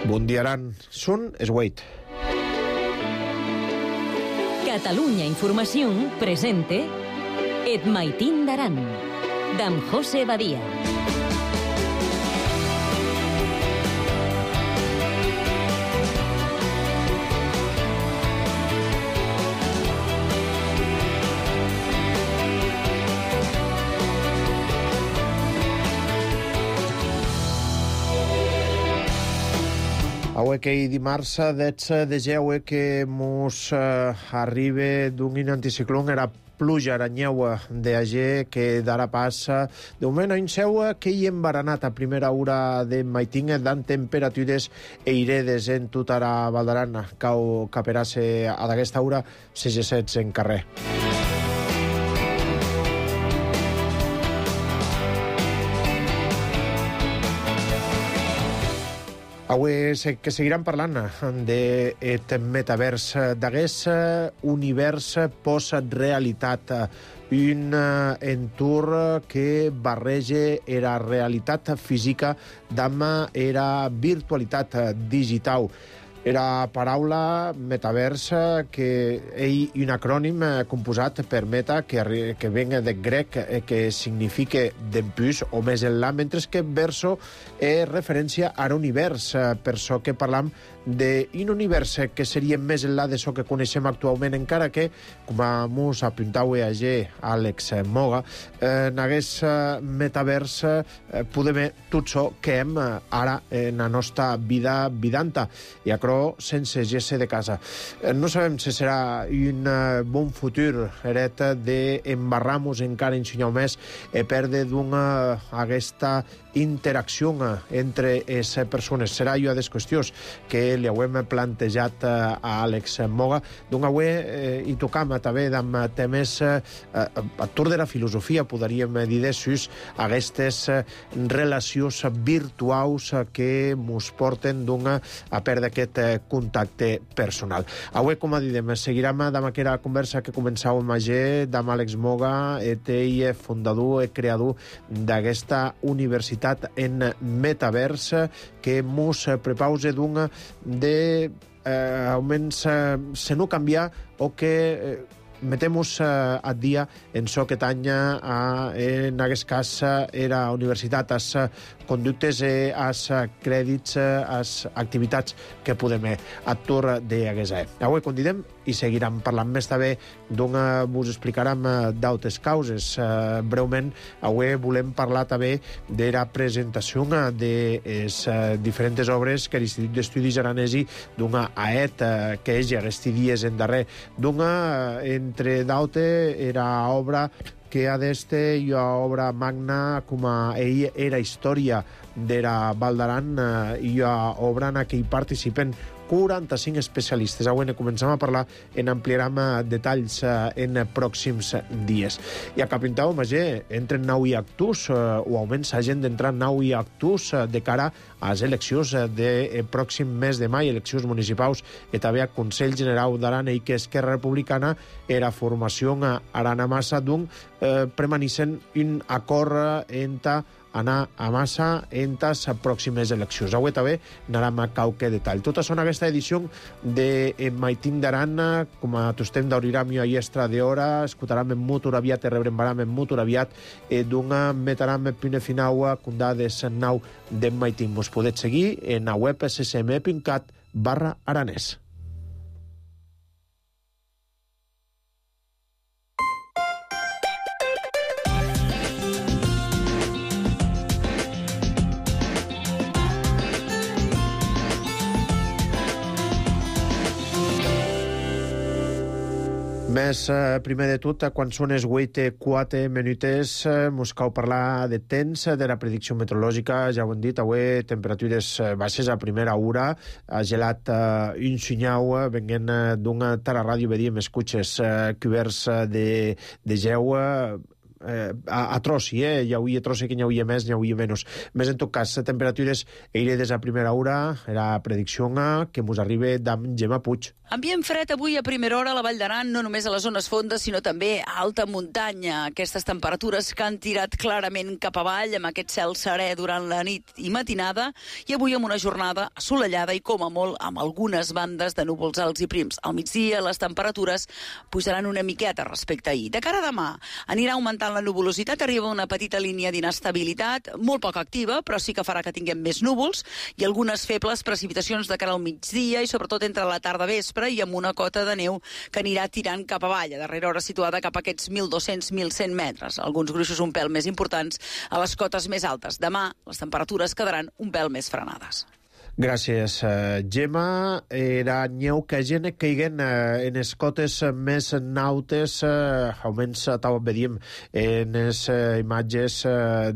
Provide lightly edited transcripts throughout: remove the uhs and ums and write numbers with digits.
Bon dia, Aran. Són es 8. Catalunya Informació presente Et Maitín d'Aran, d'en José Badia. Avui que dimarts 10 de geure que mos arriba d'un anticiclón era pluja aranyeua d'agé que darà passa de moment a un seu que hi embaranat a primera hora de maitín dan temperatures eiredes en tota la Valdaran cau caperase a d'aquesta hora 6 en carrer. Avui que seguiran parlant d'aquest metavers, d'aquest univers post-realitat, un entorn que barreja la realitat física amb la virtualitat digital. Era paraula metavers que és un acrònim composat per meta que venga de grec que significa d'empús o més enllà, mentre que verso és referència a l'univers, per això que parlam d'un univers que seria més enllà de això que coneixem actualment, encara que, com mos apuntau Àlex Moga, en aquest metavers podem tot això que hem ara en la nostra vida vidanta, i acrò sense gesse de casa. No sabem si serà un bon futur heret d'embarrar-nos encara en senyal més i perdre aquesta interacció entre les persones. Serà una de les qüestions que li hem plantejat a Àlex Moga. Doncs avui hi tocam també amb temes a tour de la filosofia, podríem dir d'aixòs, aquestes relacions virtuals que ens porten a perdre aquest contacte personal. Avui, com diem, seguirem amb aquesta conversa que començàvem amb Àlex Moga, ell fundador i creador d'aquesta universitat en metavers que mos prepausa de almenys se no canviar o que metemos a dia en so que tanya en aquest cas era universitat, als conductes, als crèdits, als activitats que podem atur d'aquesta. Avui convidem i seguirem parlant més també vos explicarem d'altres causes. Breument, avui volem parlar també de la presentació de les diferents obres que l'Institut d'Estudis Aranesi AET, que és aquests dies en darrer, entre d'altres era obra que ha d'este i obra magna com ell era història de la Valdaran i obra en què hi participen 45 especialistes. Avui comencem a parlar, en ampliarem detalls en pròxims dies. I a Capintau, entren nou i actus, o almenys s'hagin d'entrar nou i actus de cara a les eleccions de pròxim mes de mai, eleccions municipals, i també a Consell General d'Aran, i que Esquerra Republicana era formació Arana Massa premanicen un acord entre anar a massa en les pròximes eleccions. Avui també anarem a qualque detall. Tot això en aquesta edició de Maitín d'Aran, com a tostem d'Auriram i Ayestra d'Hora, escoltarem en mutur aviat i rebrembaram en mutur aviat metaram pune finau condades nau de Maitín. Mos podeu seguir en la web ssm.cat/aranès. Més, primer de tot, quan són les 8:04 minutes, mos cal parlar de temps, de la predicció meteorològica. Ja ho hem dit, avui temperatures baixes a primera hora, ha gelat un senyal venint d'una ràdio, vedíem escutxes coberts de geu, a trossi, hi hauria trossi que n'hi hauria més, n'hi hauria menys. Més en tot cas, temperatures eiredes a primera hora, era predicció que mos arriba d'en Gemma Puig. Ambient fred avui a primera hora a la Vall d'Aran, no només a les zones fondes, sinó també a alta muntanya. Aquestes temperatures que han tirat clarament cap avall, amb aquest cel serè durant la nit i matinada, i avui amb una jornada assolellada i, com a molt, amb algunes bandes de núvols alts i prims. Al migdia les temperatures pujaran una miqueta respecte a ahir. De cara a demà anirà augmentant la nuvolositat, arriba una petita línia d'inestabilitat, molt poc activa, però sí que farà que tinguem més núvols i algunes febles precipitacions de cara al migdia i sobretot entre la tarda vespre i amb una cota de neu que anirà tirant cap avall, a darrera hora situada cap a aquests 1.200-1.100 metres. Alguns gruixos un pèl més importants a les cotes més altes. Demà les temperatures quedaran un pèl més frenades. Gràcies, Gemma. Era nyeu que gent caiguen en les cotes més nautes, almenys tal veiem en les imatges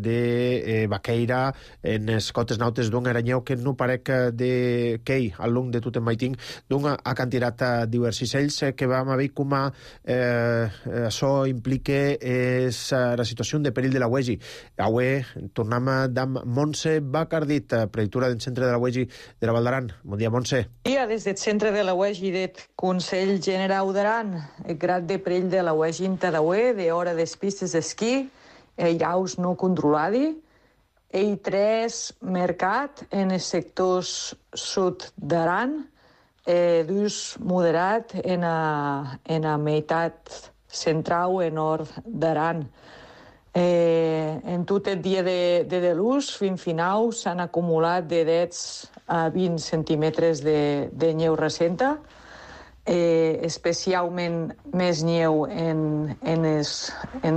de Baqueira, en les cotes nautes d'un era nyeu que no parec de quei al long de tot el maiting d'un ha cantirat diversos ells que vam haver com a això implica és la situació de perill de la UEGI. Avui tornem d'en Montse Bacardit, predictora del centre de la UEGI de la Val d'Aran. Bon dia, Montse. Bon dia, des del centre de la UEGI del Consell Generau d'Aran. El grad de perill de la UEGI en Tadaué, de hora des pistes d'esquí, airaus no controladi, i 3 mercat en els sectors sud d'Aran, d'ús moderat en la meitat central i nord d'Aran. En tot el dia de l'ús, fins final, s'han acumulat de 10 a 20 centímetres de neu recenta, especialment més neu en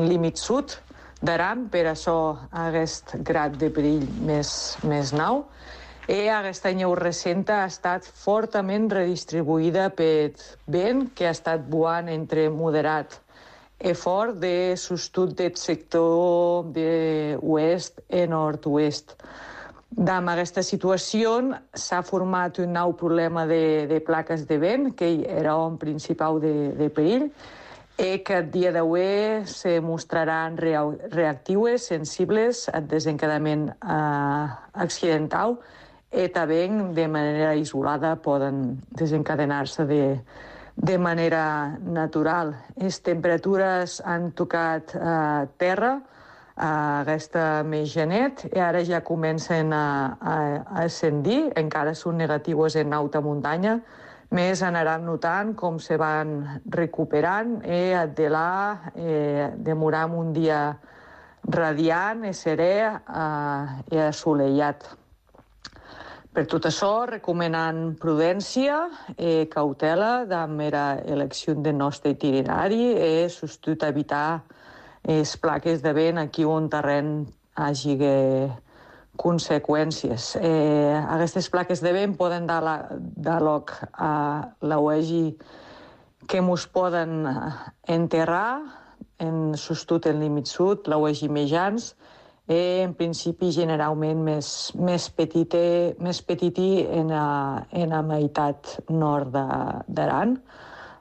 límit sud d'Aran, per això aquest grad de perill més nou. Aquesta neu recenta ha estat fortament redistribuïda per vent, que ha estat buant entre moderat fort de sostut del sector de oest i nord-oest. Amb aquesta situació s'ha format un nou problema de plaques de vent, que era un principal de perill, i que el dia d'avui se mostraran reactives, sensibles al desencadament accidental i també de manera isolada poden desencadenar-se de manera natural. Les temperatures han tocat terra aquesta més genet i ara ja comencen a ascendir, encara són negatius en alta muntanya, més anaran notant com se van recuperant i Addelà demorar un dia radiant i serè i assolellat. Per tot això, recomanant prudència i cautela amb l'elecció del nostre itinerari i sobretot evitar les plaques de vent aquí on terreny hagi conseqüències. Aquestes plaques de vent poden dar lloc a la UEGI que ens poden enterrar, sobretot en límit sud, la UEGI Mejans, en principi generalment més petiti en la meitat nord d'Aran.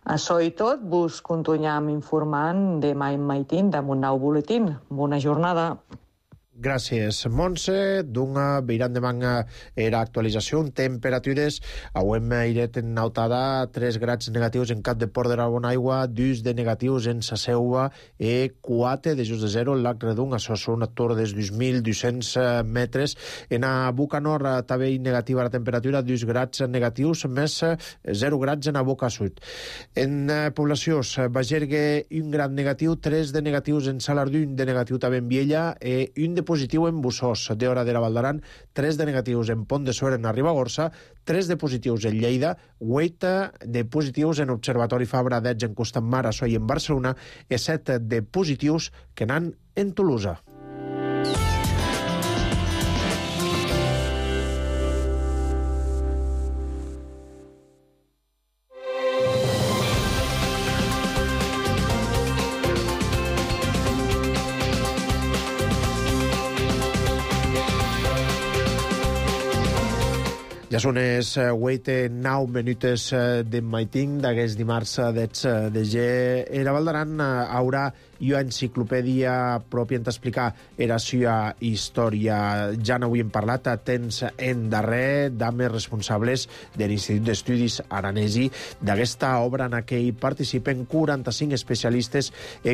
Això i tot, vos continuem informant demà en Maitín amb un nou boletín. Bona jornada. Gràcies, Montse. D'una veiran de manga era actualització. Temperatures auem iret en nautada 3 grads negatius en Cap de Port de la Bonaigua, 2 de negatius en sa Seua i 4 de just de zero en Lac Redung. Això són a tor des 2.200 metres. En a Boca Nord també negativa la temperatura, 2 grads negatius més 0 grads en a Boca Sud. En poblacions, Bagergue 1 grad negatiu, 3 de negatius en Salardú, 1 de negatiu també en Viella i 1 de positiu en Bussós, de hora de la Val d'Aran, 3 de negatius en Pont de Suert en a Ribagorça, 3 de positius en Lleida, 8 de positius en Observatori Fabra d'Edge en Costamar, a Soy en Barcelona, i 7 de positius que n'han en Tolosa. Ja són les 8-9 minutes de maiting d'aquest dimarts de G. La Val d'Aran haurà i enciclopèdia pròpia en t'explicar era sua història. Ja n'avui hem parlat a temps en darrer d'homes responsables de l'Institut d'Estudis Aranesi. D'aquesta obra en què hi participen 45 especialistes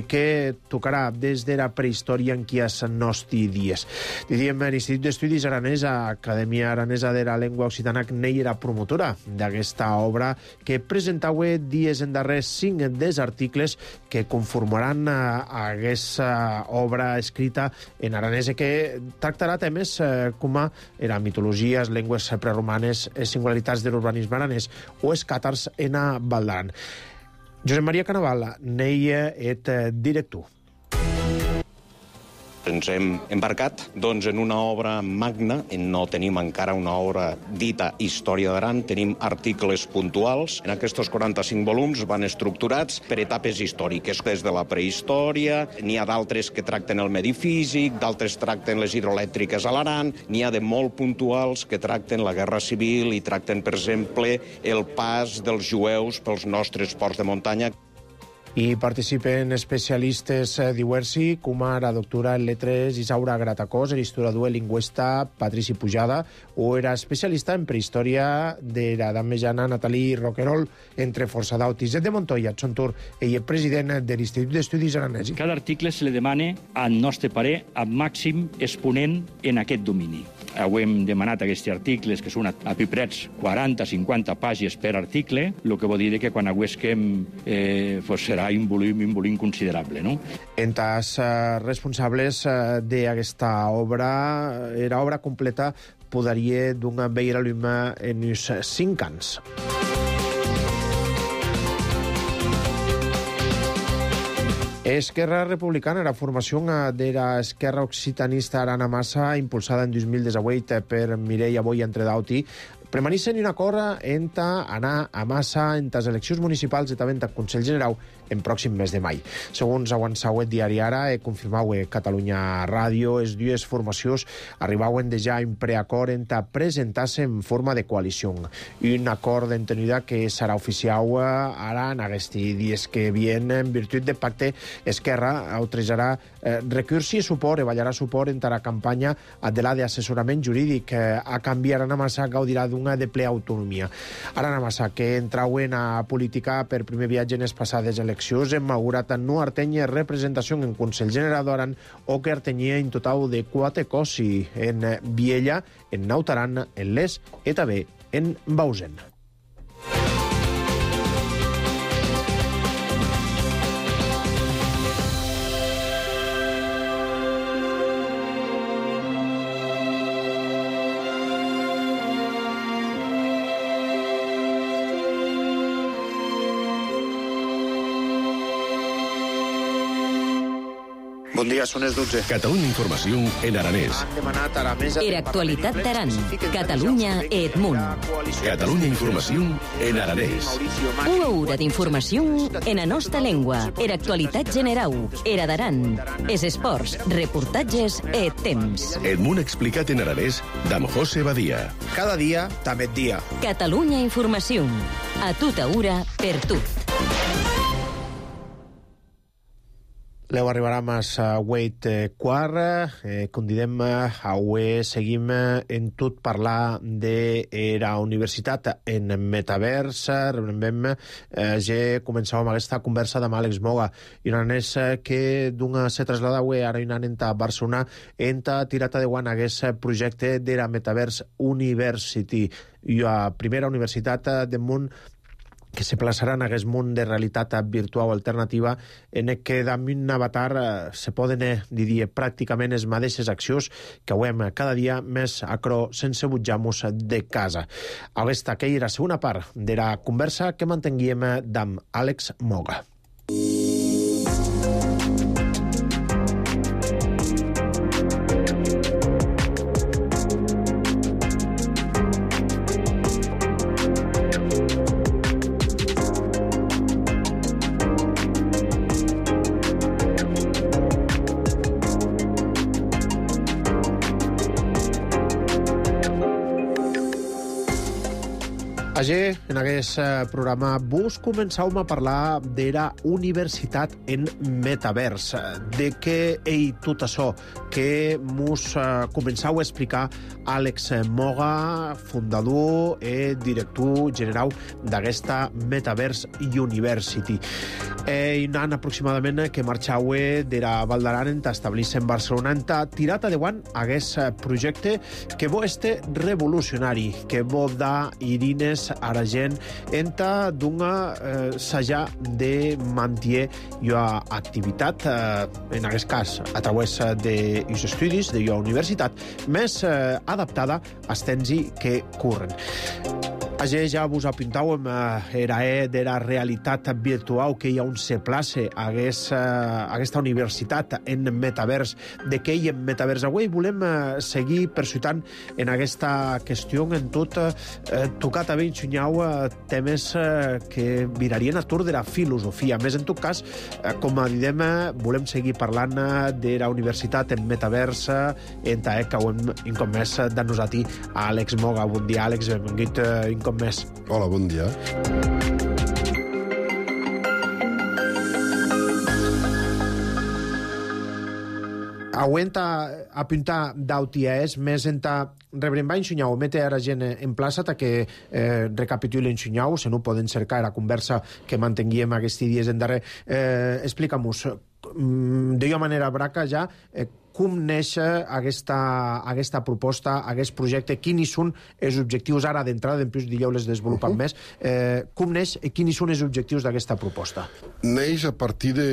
que tocarà des de la prehistòria en qui es nostri dies. Diem, l'Institut d'Estudis Aranès, Acadèmia Aranesa de la Llengua Occitana, n'hi era promotora d'aquesta obra que presentava dies en darrer 5 dels articles que conformaran aquesta obra escrita en aranès que tractarà temes com era mitologia, les llengües preromanes, les singularitats de l'urbanisme aranès o els càtars en Val d'Aran. Josep Maria Canaval n'hi és director. Ens hem embarcat en una obra magna, no tenim encara una obra dita Història d'Aran, tenim articles puntuals. En aquests 45 volums van estructurats per etapes històriques, des de la prehistòria, n'hi ha d'altres que tracten el medi físic, d'altres tracten les hidroelèctriques a l'Aran, n'hi ha de molt puntuals que tracten la guerra civil i tracten, per exemple, el pas dels jueus pels nostres ports de muntanya. I participen especialistes diversi, com la doctora en lletres Isaura Gratacós, l'historiador i lingüista Patrici Pujada, o era especialista en prehistòria de l'edat mitjana Natalí Roquerol, entre força d'autis. De Montoya, Tsontur, ell és president de l'Institut d'Estudis Aranesi. Cada article se li demana, al nostre parer, el màxim exponent en aquest domini. Avui hem demanat aquests articles, que són a piprets 40-50 pàgines per article, el que vol dir que quan aguesquem serà un volum considerable, no? Entre els responsables d'aquesta obra, era obra completa, podria donar veure l'home en uns 5 anys. Esquerra Republicana, la formació de l'Esquerra Occitanista Arana Massa, impulsada en 2018 per Mireia Boia entre d'Auti, permaneixen en un acord entre anar a Massa en les eleccions municipals i també en Consell General en pròxim mes de mai. Segons avançau el diari Ara, confirmau Catalunya Ràdio, les dues formacions arribauen ja en preacord entre presentar-se en forma de coalició. Un acord d'entenida que serà oficial ara en aquests dies que vienen en virtut del pacte. Esquerra autoritzarà recurs i suport, evallarà suport entre la campanya de l'assessorament jurídic. A canvi, Arana Massa gaudirà d'una de ple autonomia. Arana Massa, que entrauen a política per primer viatge en les passades eleccions, hem augurat no artenya representació en Consell General d'Aran o que artenia en total de 4 cossi en Viella, en Nautaran, en Les i també en Bausen. Bon dia, són les 12. Catalunya Informació en aranès. Era actualitat d'Aran. Catalunya Edmunt. Catalunya Informació en aranès. Una hora d'informació en la nostra llengua. Era actualitat general. Era d'Aran. Es esports, reportatges et temps. Edmunt explicat en aranès d'Am José Badia. Cada dia, també dia. Catalunya Informació. A tota hora, per tu. Leu arribarà a Wait quart. Convidem avui seguim en tot parlar de la universitat en metavers. Rebrem ja començàvem aquesta conversa amb Àlex Moga i un anès que se trasllada avui ara un any a Barcelona en tirat de guant aquest projecte de la Metaverse University, la primera universitat del món que se plaçarà en aquest món de realitat virtual alternativa en què damunt un avatar se poden dir pràcticament les mateixes accions que veiem cada dia més acro sense butjar-nos de casa. Aquesta que era la segona part de la conversa que mantenguíem amb Àlex Moga. Ayer, en aquest programa, vos començàvem a parlar d'era universitat en metavers, de què tot això que mos començau a explicar Àlex Moga, fundador i director general d'aquesta Metaverse University. Un any aproximadament que marxau d'era Val d'Aran en establir-se en Barcelona, en tirat endavant aquest projecte que bo este revolucionari, que bo da Irines ara gent enta d'una saja de mantier la activitat, en aquest cas a través dels estudis de la universitat, més adaptada als temps que corren. Ayer ja vos apuntàvem de la realitat virtual que hi ha un se place a aquesta universitat en metavers. De què hi ha en metavers? Avui volem seguir persuitant en aquesta qüestió, en tot tocat a ben xunyau temes que virarien a tour de la filosofia. Més en tot cas, com diem, volem seguir parlant de la universitat en metavers, en que ho hem incomès de-nos a ti, Àlex Moga. Bon dia, Àlex, benvingut més. Hola, bon dia. Aguenta apuntar d'auties, més enta rebrem en xunyau, mete ara gent en plaça que recapituli en xunyau, se no poden cercar la conversa que mantenguíem aquests dies en darrer. Explica-mos, d'una manera braca ja, com neix aquesta proposta, aquest projecte, quins són els objectius ara d'entrada, després dieu les desenvolupant més, com neix i quins són els objectius d'aquesta proposta? Neix a partir de,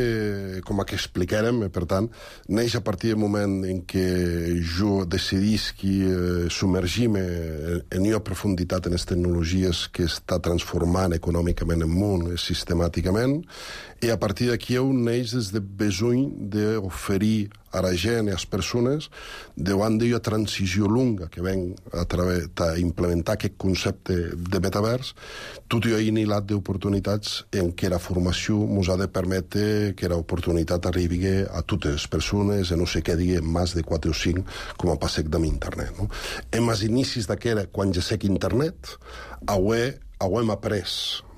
com que explicarem, per tant, neix a partir del moment en què jo decidisc submergir-me en una profunditat en les tecnologies que està transformant econòmicament el món sistemàticament, i a partir d'aquí neix des de besoll d'oferir a la gent i a les persones davant d'una transició longa que ven a través d'implementar aquest concepte de metavers, tot i inilat d'oportunitats en què la formació ens ha de permetre que l'oportunitat arribi a totes les persones i no se quedi en més de 4 o 5 com a passec amb internet. No? En els inicis d'aquera, quan ja sé que internet, hem après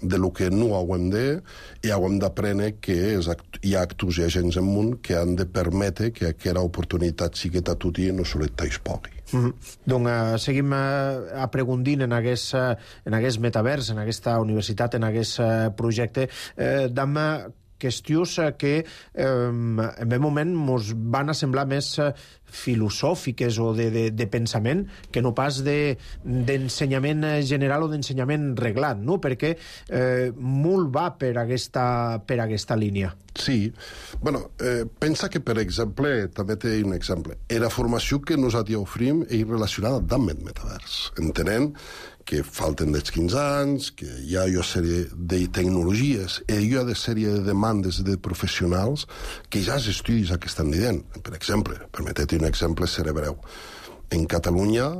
de lo que no hem de i hem d'aprendre que hi ha actors i agents en món que han de permetre que aquesta oportunitat sigui a tot i no sols pogui. Doncs seguim aprofundint en aquest metavers, en aquesta universitat, en aquest projecte, d'amb qüestions que en un moment ens van semblar més filosòfiques o de pensament que no pas d'ensenyament general o d'ensenyament reglat, no? Perquè molt va per aquesta línia. Sí. Bueno, pensa que, per exemple, també té un exemple. La formació que nosaltres oferim és relacionada amb el metavers, entenent que falten dels 15 anys, que hi ha una sèrie de tecnologies i hi ha una sèrie de demandes de professionals que ja els estudis que estan dient. Per exemple, permeteu un exemple cerebreu. En Catalunya,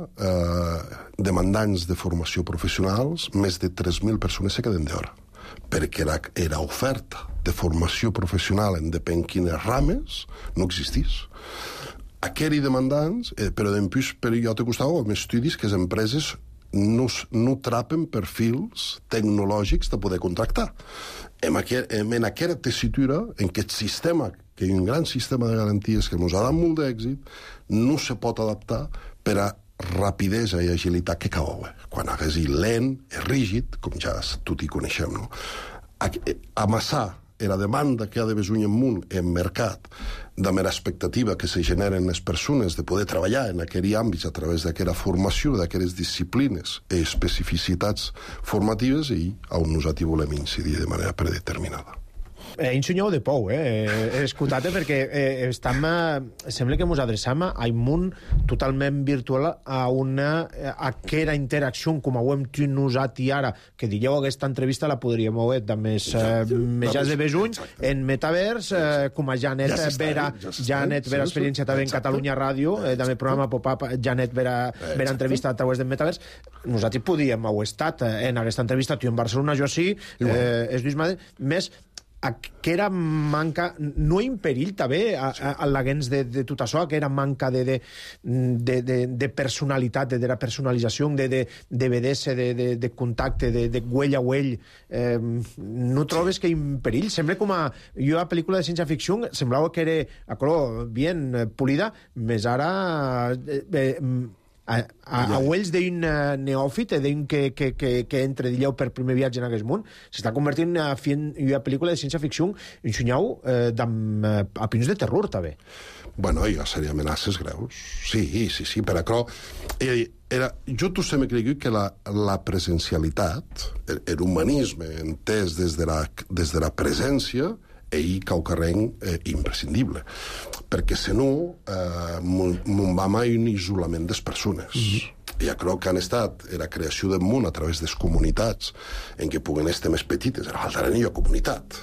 demandants de formació professionals, més de 3.000 persones se queden d'hora, perquè era oferta de formació professional en depèn quines rames no existís. Aquells demandants, però després per jo te costava amb estudis que les empreses no trapen perfils tecnològics de poder contractar. En aquesta tessitura, en aquest sistema, que hi ha un gran sistema de garanties que ens ha dat molt d'èxit, no se pot adaptar per a rapidesa i agilitat que cau. Quan hagués lent, és rígid, com ja tot hi coneixem, no? Amassar la demanda que ha de besoin en món, en mercat, de mera expectativa que se generen les persones de poder treballar en aquell àmbit a través d'aquella formació, d'aquelles disciplines i especificitats formatives i on nosaltres volem incidir de manera predeterminada. Ensenyeu de pou, escoltat, perquè sembla que ens adreçam a un món totalment virtual, a aquella interacció com ho hem tingut nosaltres ara, que dieu aquesta entrevista la podríem haver de més de besuny, en metavers, com a Janet Vera experiència també en Catalunya Ràdio, també programa Pop-Up, Janet Vera entrevista a través del metavers. Nosaltres podíem haver estat en aquesta entrevista, tu en Barcelona, jo sí, és Lluís Madre, més que era manca, no en perill també a l'aguens de tot això, que era manca de personalitat, de la personalització, de vedesse, de contacte, de uell a uell, no trobes que en perill? Sembla com a... Jo a pel·lícula de ciència-ficció semblava que era bien polida, més ara... a ulls d'un neòfit, d'un que entre d'illeu per primer viatge en aquest món, s'està convertint en una pel·lícula de ciència-ficció en xunyau a pins de terror, també. Bueno, hi ha sèrie amenaces greus. Sí, per això... Jo tu sempre crec que la presencialitat, l'humanisme entès des de la presència, ell caucarrenc imprescindible, perquè si no mon va mai un isolament des persones. Ja crec que han estat la creació del món a través de les comunitats en què puguen estar més petites. Ara faltarà una comunitat.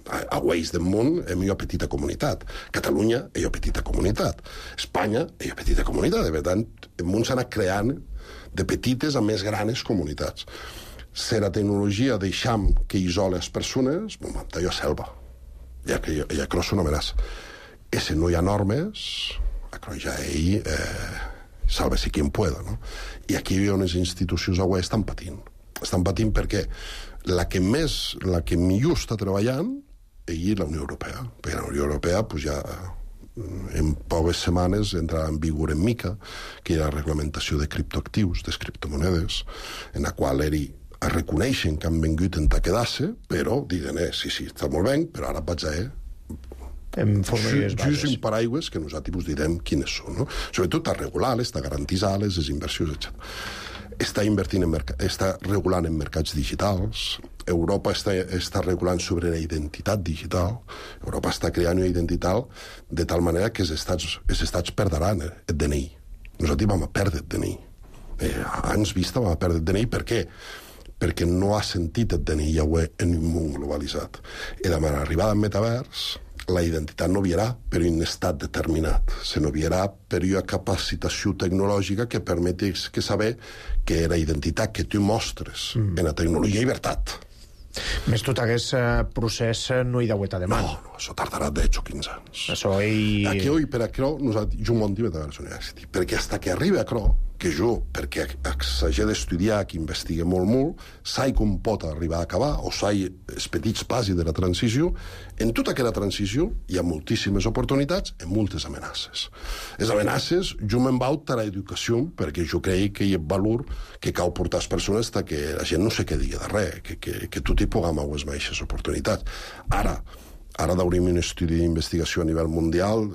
A Waze del món és una petita comunitat. Catalunya és una petita comunitat. Espanya és una petita comunitat. Per tant, el món s'ha anat creant de petites a més grans comunitats. Si la tecnologia deixam que isola les persones, jo selva. Ja crec és una amenaça. I si no hi ha normes, ja ell salve-se quien pueda, no? I aquí hi ha unes institucions avui estan patint. Estan patint perquè la que millor està treballant és la Unió Europea. Perquè la Unió Europea ja en poques setmanes entrarà en vigor en mica, que hi ha la reglamentació de criptoactius, de criptomonedes, en la qual reconeixen que han vengut en quedar-se, però diuen, sí, està molt bé, però ara vaig a just un paraigües que nosaltres direm quines són, no? Sobretot a regular-les, a garantir-les, les inversions, etc. Està regulant en mercats digitals, Europa està regulant sobre la identitat digital, Europa està creant una identitat de tal manera que els estats perdran el DNI. Nosaltres vam a perdre el DNI. Anys vista vam a perdre el DNI. Per què? Perquè no ha sentit el DNI en un món globalitzat. I demà l'arribada al metavers, la identitat no virà per un estat determinat, sinó virà per una capacitació tecnològica que permeteix saber que la identitat que tu mostres en la tecnologia és llibertat. Més tot aquest procés no hi deueta de mà. No, això tardarà 10 o 15 anys. Això ell... Aquí, per això, nosaltres, jo m'ho dic a la universitat, perquè fins que arriba a això, que jo, perquè s'hagi d'estudiar, que investigue molt, sai com pot arribar a acabar, o sai els petits passos de la transició, en tota aquella transició hi ha moltíssimes oportunitats i moltes amenaces. Les amenaces, jo me'n vaig a l'educació, perquè jo crec que hi ha valor que cal portar les persones que la gent no se quedi de res, que tot hi puguem les mateixes oportunitats. Ara d'obrim un estudi d'investigació a nivell mundial,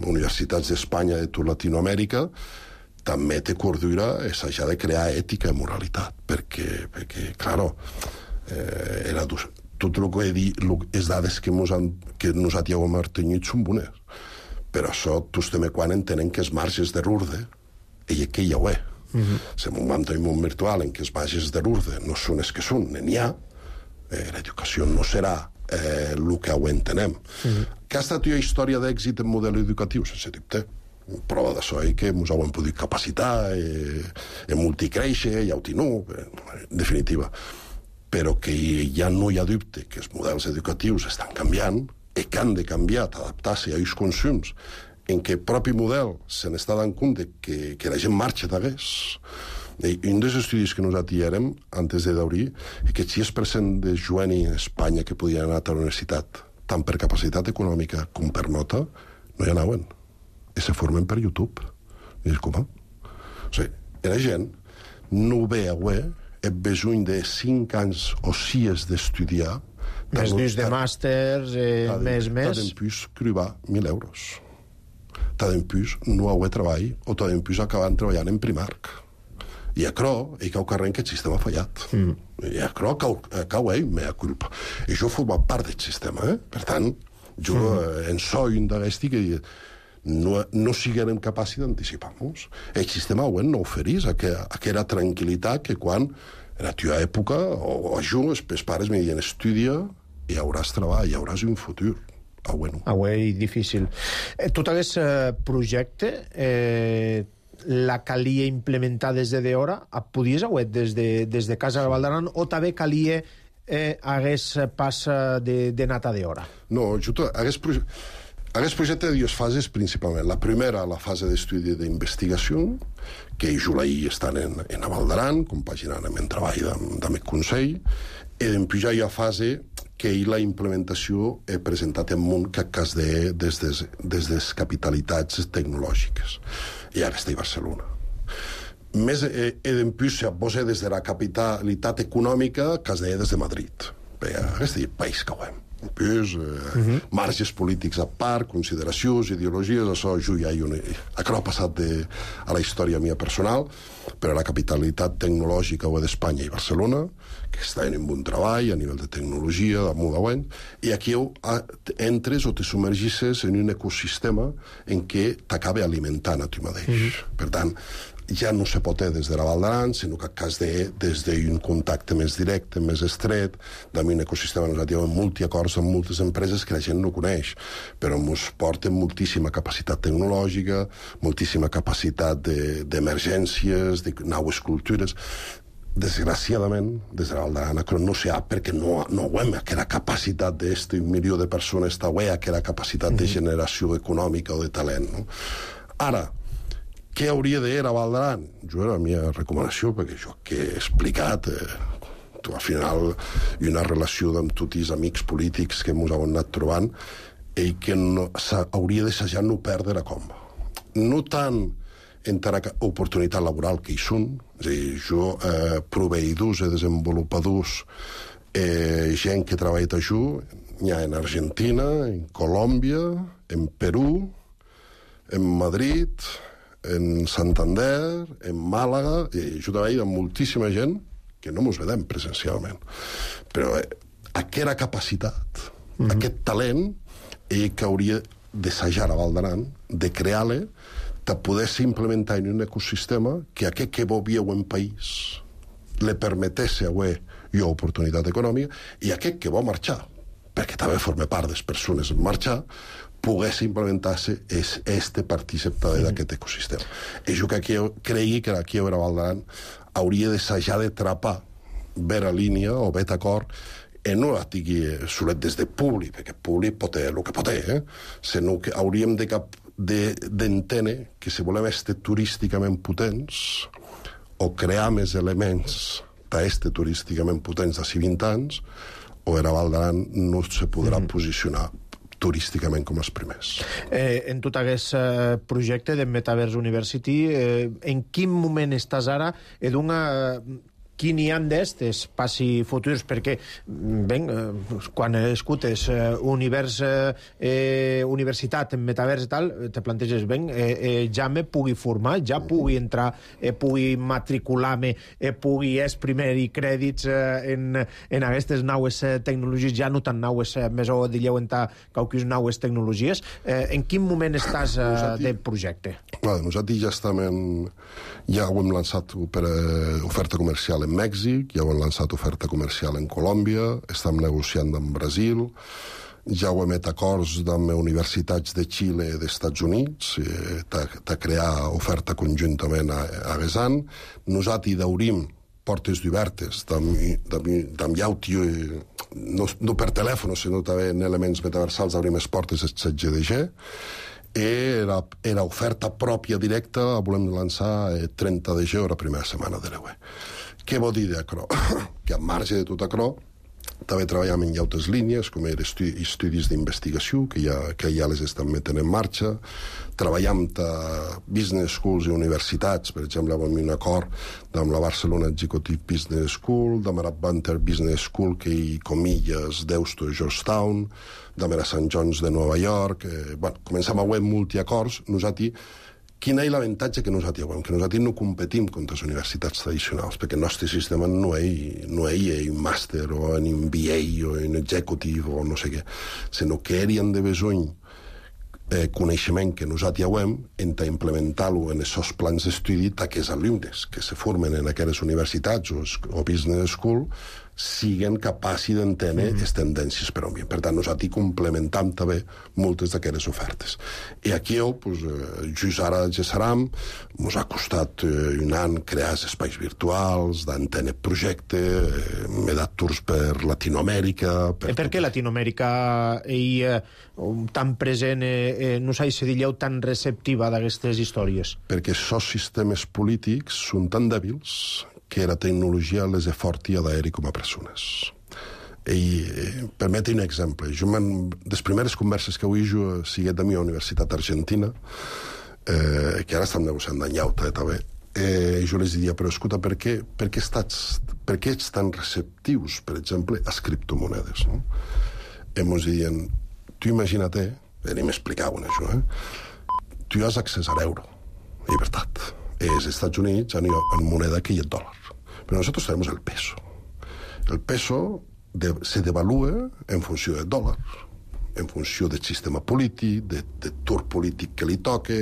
universitats d'Espanya i de tota Latinoamèrica, també té cordura s'ha de crear ètica i moralitat, perquè claro, tot el que he dit, les dades que nosaltres hem obtingut són bones, però això tots també quan entenen que els marges d'error i que ja ho és. Si en un món virtual en què els marges d'error no són els que són, n'hi ha, l'educació no serà el que ho entenem. Que ha estat una història d'èxit en model educatiu, sense dubte. Prova d'això que ens ho hem pogut capacitar, multicréixer, i autinú, en definitiva. Però que ja no hi ha dubte que els models educatius estan canviant i que han de canviar, adaptar-se a aquests consums, en què el propi model se n'està dant compte que la gent marxa d'hagués. Un dels estudis que nosaltres érem, antes d'obrir, és que el 6% de joves a Espanya que podien anar a la universitat, tant per capacitat econòmica com per nota, no hi anaven. I se formen per YouTube. I dius, com? O sigui, la gent no ve a el besuny de 5 anys o 6 d'estudiar. Més dins de màsters, més. T'ha d'empús cribar 1.000 euros. T'ha d'empús no haver treball o t'ha d'empús acabant treballant en Primark. I a Cro, i cau carrer que el sistema ha fallat. I a Cro cau ell, mea culpa. I jo he format part del sistema, Per tant, jo en soy un d'aquesti que no siguem capaços d'anticipar-nos. El sistema no oferís aquella tranquil·litat que quan en la teva època, o jo, els pares me diuen estudia i hauràs treball, i hauràs un futur. Avui difícil. Tot aquest projecte la calia implementar des d'hora? Podies haver des de Casa de Val d'Aran o també calia hagués pas de nata d'hora? No, hagués projecte de dues fases principalment. La primera, la fase d'estudi d'investigació, que jo l'ahir estan en Val d'Aran, compaginant amb el treball del Consell, i després ja hi ha fase que la implementació he presentat en un cas des les capitalitats tecnològiques. I ara està a Barcelona. Més, després, si des de la capitalitat econòmica, cas des de Madrid. Bé, aquest país que ho hem. Després, marges polítics a part, consideracions, ideologies, això ja hi ha passat a la història mia personal, però la capitalitat tecnològica d'Espanya i Barcelona, que està en un treball a nivell de tecnologia, damunt d'avui, i aquí entres o te submergisses en un ecosistema en què t'acaba alimentant a tu mateix. Per tant, ja no se pot des de la Val d'Aran, sinó que cas des d'un contacte més directe, més estret, d'un ecosistema nosaltres amb multiacords amb moltes empreses que la gent no coneix, però ens porten moltíssima capacitat tecnològica, moltíssima capacitat d'emergències, de noves cultures. Desgraciadament, des de la Val d'Aran, no se ha, perquè no hem aquella capacitat d'este 1 milió de persones, aquella capacitat de generació econòmica o de talent. Ara, què hauria de ser a Val d'Aran? Jo era la meva recomanació, perquè jo que he explicat, al final hi ha una relació amb tots els amics polítics que ens hem anat trobant i que hauria d'assajar no perdre la comba. No tant entre la oportunitat laboral que hi són, és a dir, jo proveïdors i desenvolupadors, gent que treballa a jo, hi ha en Argentina, en Colòmbia, en Perú, en Madrid, en Santander, en Màlaga, i jo treballo amb moltíssima gent que no ens vedem presencialment. Però aquesta capacitat, aquest talent, que hauria d'assajar a Val d'Aran, de crear-la, de poder-se implementar en un ecosistema que aquest que vivia en país li permetesse avui jo oportunitat econòmica i aquest que va marxar, perquè també forma part de les persones en marxar, pogués implementar-se este participar d'aquest ecosistema. I jo que cregui que aquí a Val d'Aran hauria d'assajar de trapar vera línia o bet acord i no la tingui solet des de públic, perquè públic pot ser el que pot ser, sinó que hauríem d'entendre que si volem estar turísticament potents o crear més elements d'este turísticament potents d'ací 20 anys, o a Val d'Aran no se podrà posicionar turísticament com els primers. En tot aquest projecte de Metaverse University, en quin moment estàs ara? Quin hi ha d'estes passi futurs? Perquè, quan escutes universitat en metavers i tal, te planteges, ja me pugui formar, ja pugui entrar, pugui matricular-me, pugui exprimir crèdits en aquestes noves tecnologies, ja no tan noves, més o dilleu entrar qualques noves tecnologies. En quin moment estàs del projecte? Nosaltres ja ho hem lançat per oferta comercial en Mèxic, ja ho hem lançat oferta comercial en Colòmbia, estem negociant amb Brasil, ja ho hem fet acords amb universitats de Xile i dels Estats Units de crear oferta conjuntament a Besan. Nosaltres hauríem portes obertes d'am llauti, no per telèfon, sinó també en elements metaversals hauríem les portes del 7GDG. Era oferta pròpia directa, volem lançar 30 de gener, la primera setmana de l'EUE. Què vol dir d'això? Que a marge de tot això, també treballem en altres línies, com estudis d'investigació, que ja les estem metent en marxa. Treballem a business schools i universitats, per exemple, amb un acord amb la Barcelona Executive Business School, amb la Banter Business School, que hi comilles d'Eusto i Georgetown, amb la St. John's de Nova York. Comencem a haver multiacords. Quin és l'avantatge que nosaltres veiem? Que nosaltres no competim contra les universitats tradicionals, perquè el nostre sistema no és un màster o un MBA o un executive o no sé què, sinó que haurien de besony coneixement que nosaltres veiem en implementar-lo en aquests plans d'estudi d'aquests alumnes que se formen en aquelles universitats o business school siguen capaços d'entendre les tendències per on viuen. Per tant, nosaltres complementam també moltes d'aquestes ofertes. I aquí, just ara a Gesseram, ens ha costat un any crear espais virtuals, d'entendre projecte, m'he dat tours per Latinoamèrica... Per què Latinoamèrica tan present, no s'ha de dir tan receptiva d'aquestes històries? Perquè els sistemes polítics són tan dèbils que la tecnologia les és forta a d'aeri com a persones. I permeti un exemple. Les primeres converses que avui jo siguet de mi a la Universitat Argentina, que ara estem negociant d'anyauta, també, jo les diria, però escolta, per què ets tan receptius, per exemple, a les criptomonedes? No? I ens diuen, tu imagina't, i m'explicaven això, tu has accés a l'euro, llibertat. Els Estats Units han moneda que hi ha dòlar. Però nosaltres tenim el peso. El peso se devalua en funció del dòlar, en funció del sistema polític, del tour polític que li toca.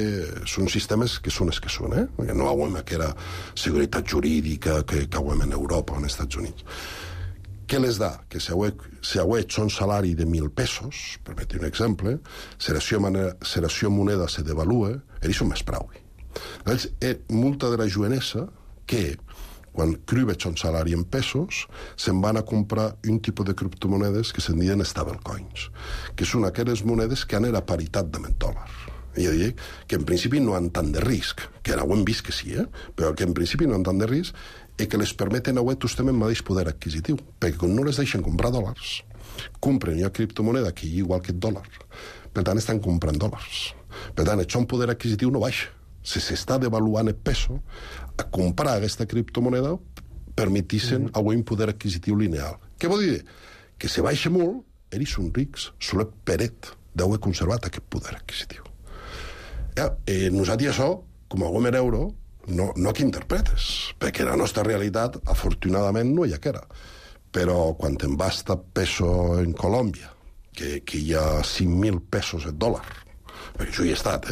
Són sistemes que són els que són, perquè no veiem aquella seguretat jurídica que veiem en Europa o en els Estats Units. Què les da? Que si auets un salari de 1.000 pesos, permeti un exemple, si la seva moneda se devalua, ells són més prou. Llavors, molta de la jovenesa que, quan crüveig un salari en pesos, se'n van a comprar un tipus de criptomonedes que se'n diuen stablecoins, que són aquelles monedes que han la paritat de dòlar. I jo dic que en principi no han tant de risc, que ara ho hem vist que sí, però que en principi no han tant de risc i que les permeten avui justament el mateix poder adquisitiu, perquè quan no les deixen comprar dòlars, compren una criptomoneda que hi igual que el dòlar, per tant estan comprant dòlars. Per tant, això un poder adquisitiu no baixa. Si s'està devaluant el peso, a comprar aquesta criptomoneda permetissem avui un poder adquisitiu lineal. Què vol dir? Que si baixa molt, ells són rics, solet peret d'haver conservat aquest poder adquisitiu. Nosaltres això, com a guem l'euro, no que interpretes, perquè la nostra realitat, afortunadament, no hi ha que era. Però quan te'n vas a peso en Colòmbia, que hi ha 5.000 pesos el dòlar, perquè això hi he estat,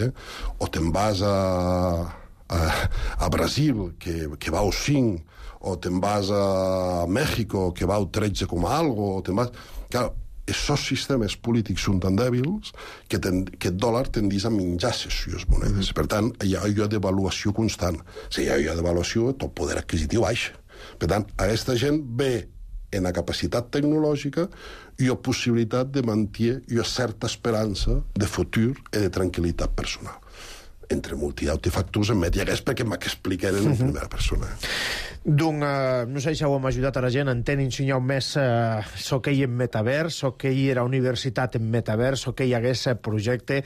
o te'n vas a Brasil, que vau 5, o te'n vas a Mèxico, que vau 13 com a algo, o te'n vas... Clar, aquests sistemes polítics són tan dèbils que el dòlar tendís a menjar les seves monedes. Per tant, hi ha una devaluació constant. Si hi ha una devaluació, tot poder adquisitiu baixa. Per tant, aquesta gent ve en la capacitat tecnològica i la possibilitat de mantenir una certa esperança de futur i de tranquil·litat personal. Entre multitud de factors en hagués perquè m'expliquen en primera persona. Donc, no sé si ho hem ajudat a la gent a entendre ensenyar més que hi en metavers, que hi era universitat en metavers, que hi hagués projecte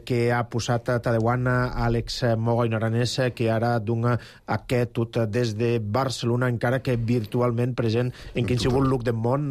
que ha posat a Tadeuan Àlex Moga i Aranès, que ara dona aquest tot des de Barcelona, encara que virtualment present en qualsevol lloc del món,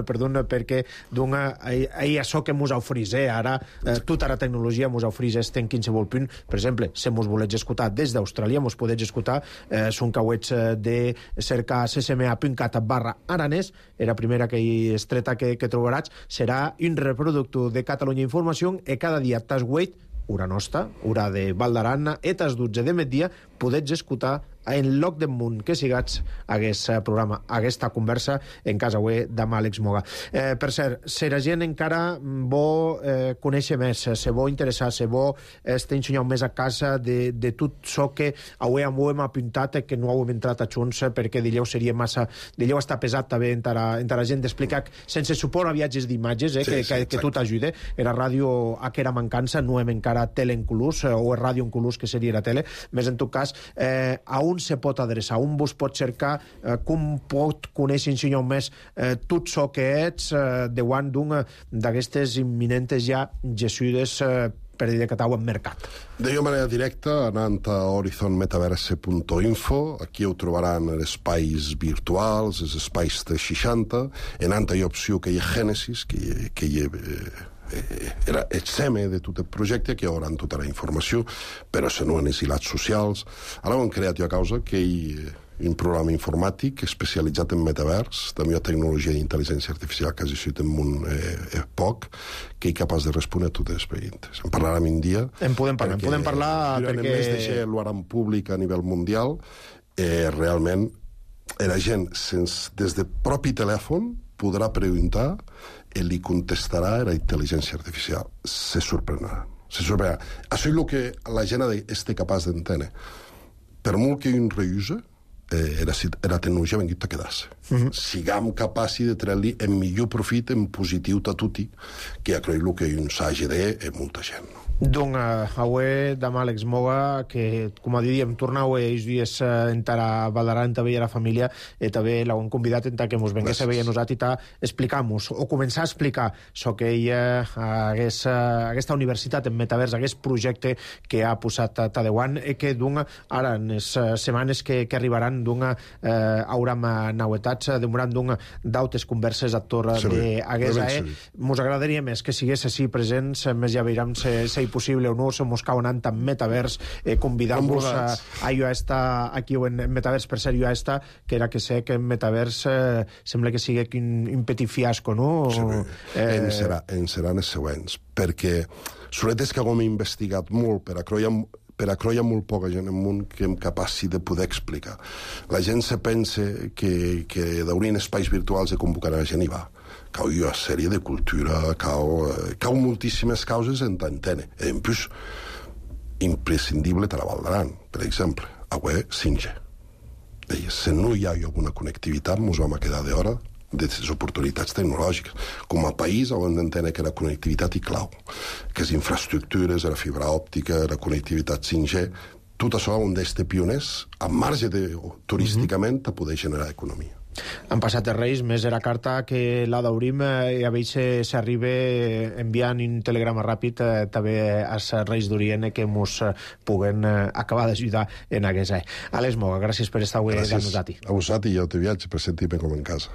perquè dona això que ens oferís. Ara, tota la tecnologia ens oferís en qualsevol punt. Per exemple, si ens voleu escoltar des d'Austràlia, ens podeu escoltar, són cauets de cercar ccma.cat/aranès, la primera que estreta que trobaràs, serà un reproductor de Catalunya Informació i cada dia t'has guait, hora nostra, hora de Val d'Aran, i t'has 12 de migdia, podets escoltar en lloc del món que sigats aquest programa, aquesta conversa en casa web d'amb Àlex Moga. Per cert, si la gent encara vol conèixer més, se vol interessar, se vol ensenyar més a casa de tot això que avui hem apuntat, que no hem entrat a junts perquè dilleu seria massa... Dilleu està pesat també entre la gent d'explicar sense suport a viatges d'imatges, que tot ajuda. Era ràdio a que era mancança, no hem encara tele en colors, o ràdio en colors, que seria la tele. Més en tot cas, a on se pot adreçar, on vos pot cercar, com pot conèixer ensenyar més tot això que ets davant d'una d'aquestes imminentes ja gessudes per dir que t'heu en mercat. De manera directa, anant a horizonmetaverse.info, aquí ho trobaran els espais virtuals, els espais 360, anant a l'opció que hi ha Gènesis, que hi ha era el seme de tot el projecte, que hi haurà tota la informació, però se no en els hilats socials. Ara ho hem creat a causa que hi ha un programa informàtic especialitzat en metavers, també hi ha tecnologia d'intel·ligència artificial que hagi sigut en un poc, que és capaç de respondre a totes les preguntes. En parlarem un dia. En podem parlar perquè... Durant el mes de gener ho haran públic a nivell mundial, realment la gent, des de propi telèfon, podrà preguntar i li contestarà la intel·ligència artificial. Se sorprendrà. Això és el que la gent és capaç d'entendre. Per molt que un reusa, la tecnologia ha vingut a quedar-se. Siguem capaços de treure-li en millor profit, en positiu a tutti, que ja crec que un s'hagi de molta gent. Donc, avui, demà, Àlex Moga, que, com a diríem, tornau aquests dies entara Valdaran, també a la família, i també l'hem convidat que ens vengués a veure nosaltres i explicar-nos, o començar a explicar això que ella, aquesta universitat en metavers, aquest projecte que ha posat a Taiwan, i que, ara, en les setmanes que arribaran, haurem novetats, demoran d'altres converses a torre d'aquesta. Ens agradaria més que sigués així presents, més ja veurem si possible o no, se mos cau anant en metavers, convidar-vos a jo a estar aquí o en metavers, per ser jo a estar, que era que sé que en metavers sembla que sigui un petit fiasco, no? En seran els següents, perquè sobretot és que hem investigat molt per a creure molt poca gent en món que hem capaç de poder explicar. La gent se pensa que d'haurien espais virtuals de convocar la gent i va. Cau una sèrie de cultura, cau moltíssimes causes en t'entene. En plus, imprescindible a la Valdaran, per exemple, avui 5G. Si no hi ha alguna connectivitat, ens vam quedar d'hora de les oportunitats tecnològiques. Com a país hem d'entendre que la connectivitat hi clau, que les infraestructures, la fibra òptica, la connectivitat 5G, tot això hem d'estar pioners, a marge turísticament, a poder generar economia. Han passat els Reis, més era carta que la d'Aurim, i a veure si arriba enviant un telegrama ràpid també als Reis d'Orient que ens puguen acabar d'ajudar en aquesta. Àlex Moga, gràcies per estar avui amb nosaltres. A vosaltres i jo te viatge per sentir-me com en casa.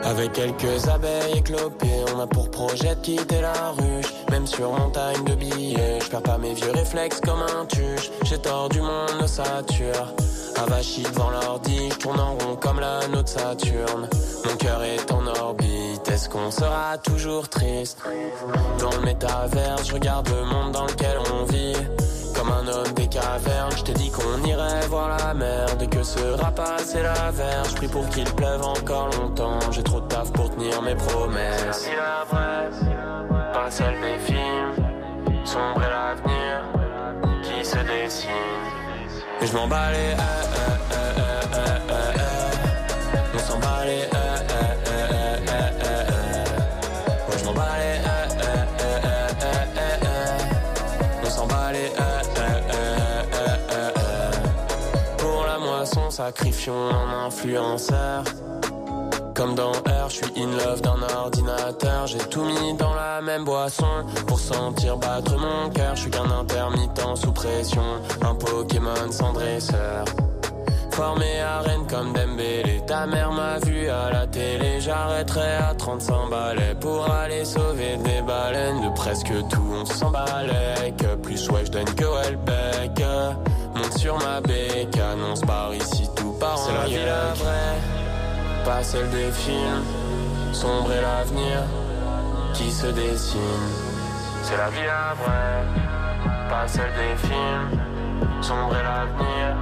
Avec quelques abeilles éclopées, on a pour projet de quitter la ruche. Même sur montagne de billets, je perds pas mes vieux réflexes comme un tuche. J'ai tordu mon ossature, avachi devant l'ordi, je tourne en rond comme l'anneau de Saturne. Mon cœur est en orbite, est-ce qu'on sera toujours triste? Dans le métaverse, je regarde le monde dans lequel on vit. Comme un homme des cavernes, je t'ai dit qu'on irait voir la mer. Dès que sera passé la verge, je prie pour qu'il pleuve encore longtemps. J'ai trop de taf pour tenir mes promesses. C'est la vraie, pas celle des films. Sombre est l'avenir qui se dessine. Et je m'en bats les on s'en bat les ouais, je m'en bats les on s'en bat les pour la moisson, sacrifions un influenceur. Comme dans R, je suis in love d'un ordinateur. J'ai tout mis dans la même boisson pour sentir battre mon cœur. Je suis qu'un intermittent sous pression, un Pokémon sans dresseur. Formé à Rennes comme Dembélé, ta mère m'a vu à la télé. J'arrêterai à 35 balais pour aller sauver des baleines. De presque tout, on s'emballait. Que plus ouais, je donne que Welbeck. Monte sur ma bécane, on se barre ici tout par en c'est la vie la vraie, pas celle des films. Sombre est l'avenir qui se dessine. C'est la vie la vraie, pas celle des films. Sombre est l'avenir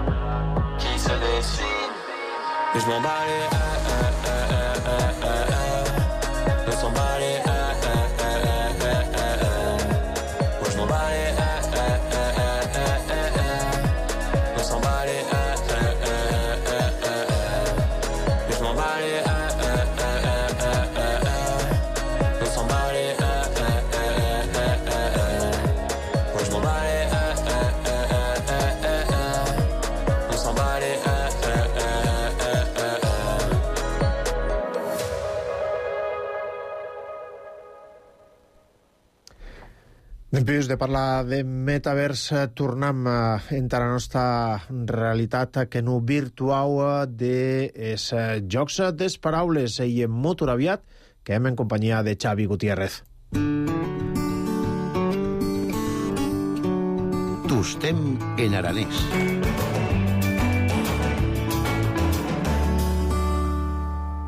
qui se dessine. Et je m'en bats les on s'en bat les ouais, je m'en bats les on s'en bat les et je m'en bats les on s'en bat les ouais, je m'en bats les on s'en bat les Després de parlar de metavers, tornem a entrar a la nostra realitat que no virtual dels jocs des paraules i en molt aviat que hem en companyia de Xavi Gutiérrez. Tostem en aranès.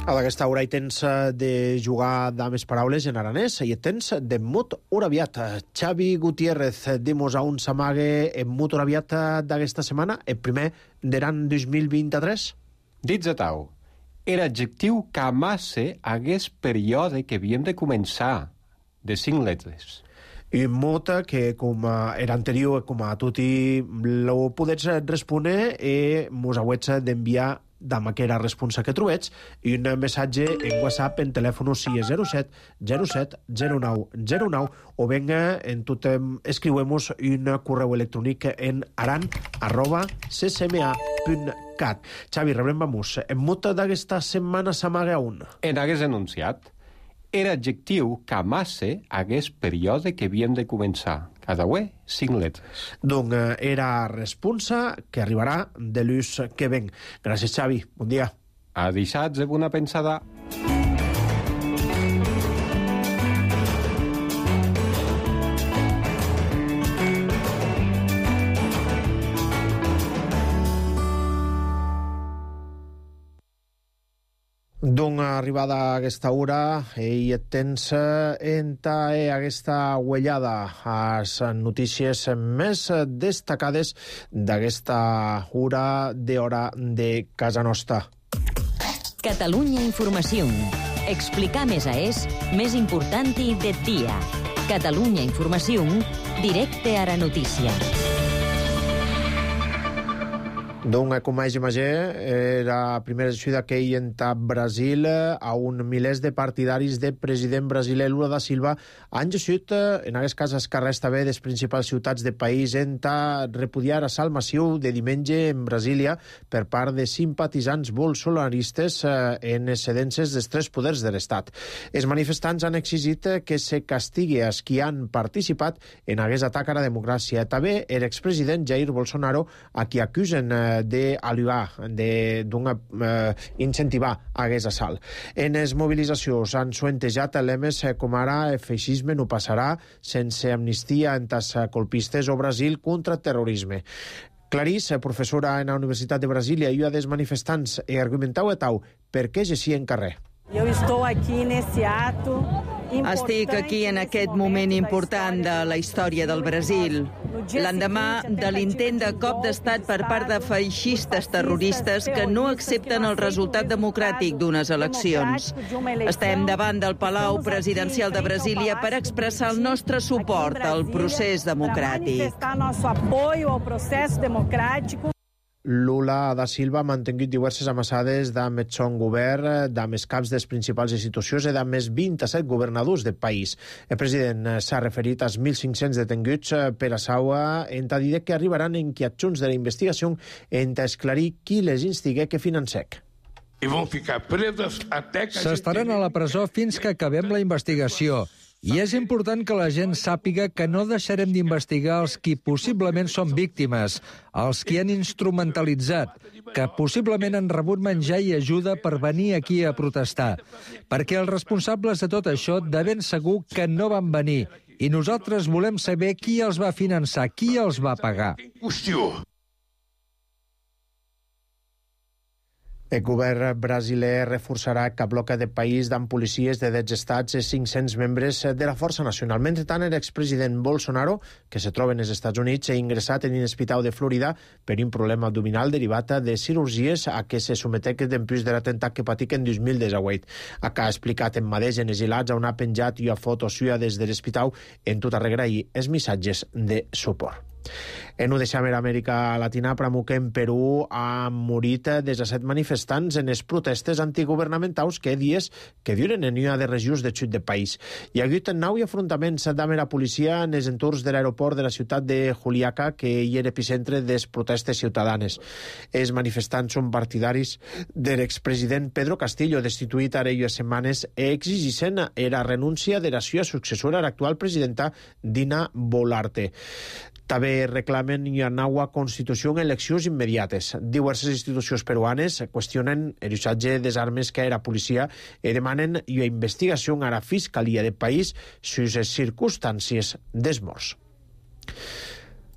A aquesta hora hi tens de jugar de més paraules en aranès i tens de mut oraviat. Xavi Gutiérrez, dimos a un s'amague en mut oraviat d'aquesta setmana, el primer d'Aran 2023? Dits a tau, era adjectiu que amasse hagués període que havíem de començar, de 5 lletres. I mut que, com era anterior, com a tutti lo podets respondre i mos hauets d'enviar amb aquella responsa que trobets i un missatge en WhatsApp en telèfon 607 07 09 09 o venga en tot escriuemos un correu electrònic en aran@ccma.cat. Xavi, rebrem vamos. En mut d'aquesta setmana s'amaga un. En hagués enunciat. Era adjectiu que amasse hagués període que havíem de començar. Cada ué, 5 lletres. Donc era responsa que arribarà de l'ús que ven. Gràcies, Xavi. Bon dia. A dissabte, bona pensada. Donc, arribada a aquesta hora, i tens aquesta uellada a les notícies més destacades d'aquesta hora de casa nostra. Catalunya Informació. Explicar més és més important de dia. Catalunya Informació, directe a la notícia. Donc, com a imatge, la primera sessió que hi entra a Brasil a un milers de partidaris del president brasiler Lula da Silva han llegit, en aquest cas, els carrers també de les principals ciutats del país en repudiar l'assalt massiu de diumenge en Brasília per part de simpatitzants bolsonaristes en excedències dels 3 poders de l'Estat. Els manifestants han exigit que se castigui els qui han participat en aquest atac a la democràcia. També l'expresident Jair Bolsonaro, a qui acusen incentivar aquest assalt. En les mobilitzacions han suentejat lemes com ara el feixisme no passarà, sense amnistia entre els colpistes o Brasil contra el terrorisme. Clarís, professora en la Universitat de Brasília i una dels manifestants, argumentau per què llegir en carrer. Estic aquí en aquest moment important de la història del Brasil, l'endemà de l'intent de cop d'estat per part de feixistes terroristes que no accepten el resultat democràtic d'unes eleccions. Estem davant del Palau Presidencial de Brasília per expressar el nostre suport al procés democràtic. Lula da Silva ha mantingut diverses ambaixades amb el son govern, amb els caps de les principals institucions i amb els 27 governadors del país. El president s'ha referit als 1.500 detenguts per a Saua, en dir que arribaran inquietjunts de la investigació en esclarir qui les instigué que financec. S'estaran a la presó fins que acabem la investigació. I és important que la gent sàpiga que no deixarem d'investigar els qui possiblement són víctimes, els qui han instrumentalitzat, que possiblement han rebut menjar i ajuda per venir aquí a protestar. Perquè els responsables de tot això de ben segur que no van venir. I nosaltres volem saber qui els va finançar, qui els va pagar. El govern brasiler reforçarà cap bloc de país amb policies de 10 estats i 500 membres de la Força Nacional. Mentrestant, l'expresident Bolsonaro, que se troba als Estats Units, ha ingressat en l'hospital de Florida per un problema abdominal derivat de cirurgies a què se sometec després de l'atemptat que patic en 2018. Acá ha explicat en mateix en exilats on ha penjat una foto suya des de l'hospital en tot arregrair els missatges de suport. En ho deixam a Amèrica Latina, Pramuc en Perú ha morit 17 manifestants en les protestes antigovernamentals que dies que duren en una de regions de sud del país. Hi ha hagut 9 afrontaments amb la policia en els entorns de l'aeroport de la ciutat de Juliaca, que hi era epicentre de les protestes ciutadanes. Els manifestants són partidaris de l'expresident Pedro Castillo, destituït ara unes setmanes, i exigeixen la renúncia de la seva successora, l'actual presidenta Dina Boluarte. També reclamen una nova constitució en eleccions immediates. Diverses institucions peruanes qüestionen l'usatge de les armes que era policia i demanen una investigació a la Fiscalia del país sobre les circumstàncies dels morts.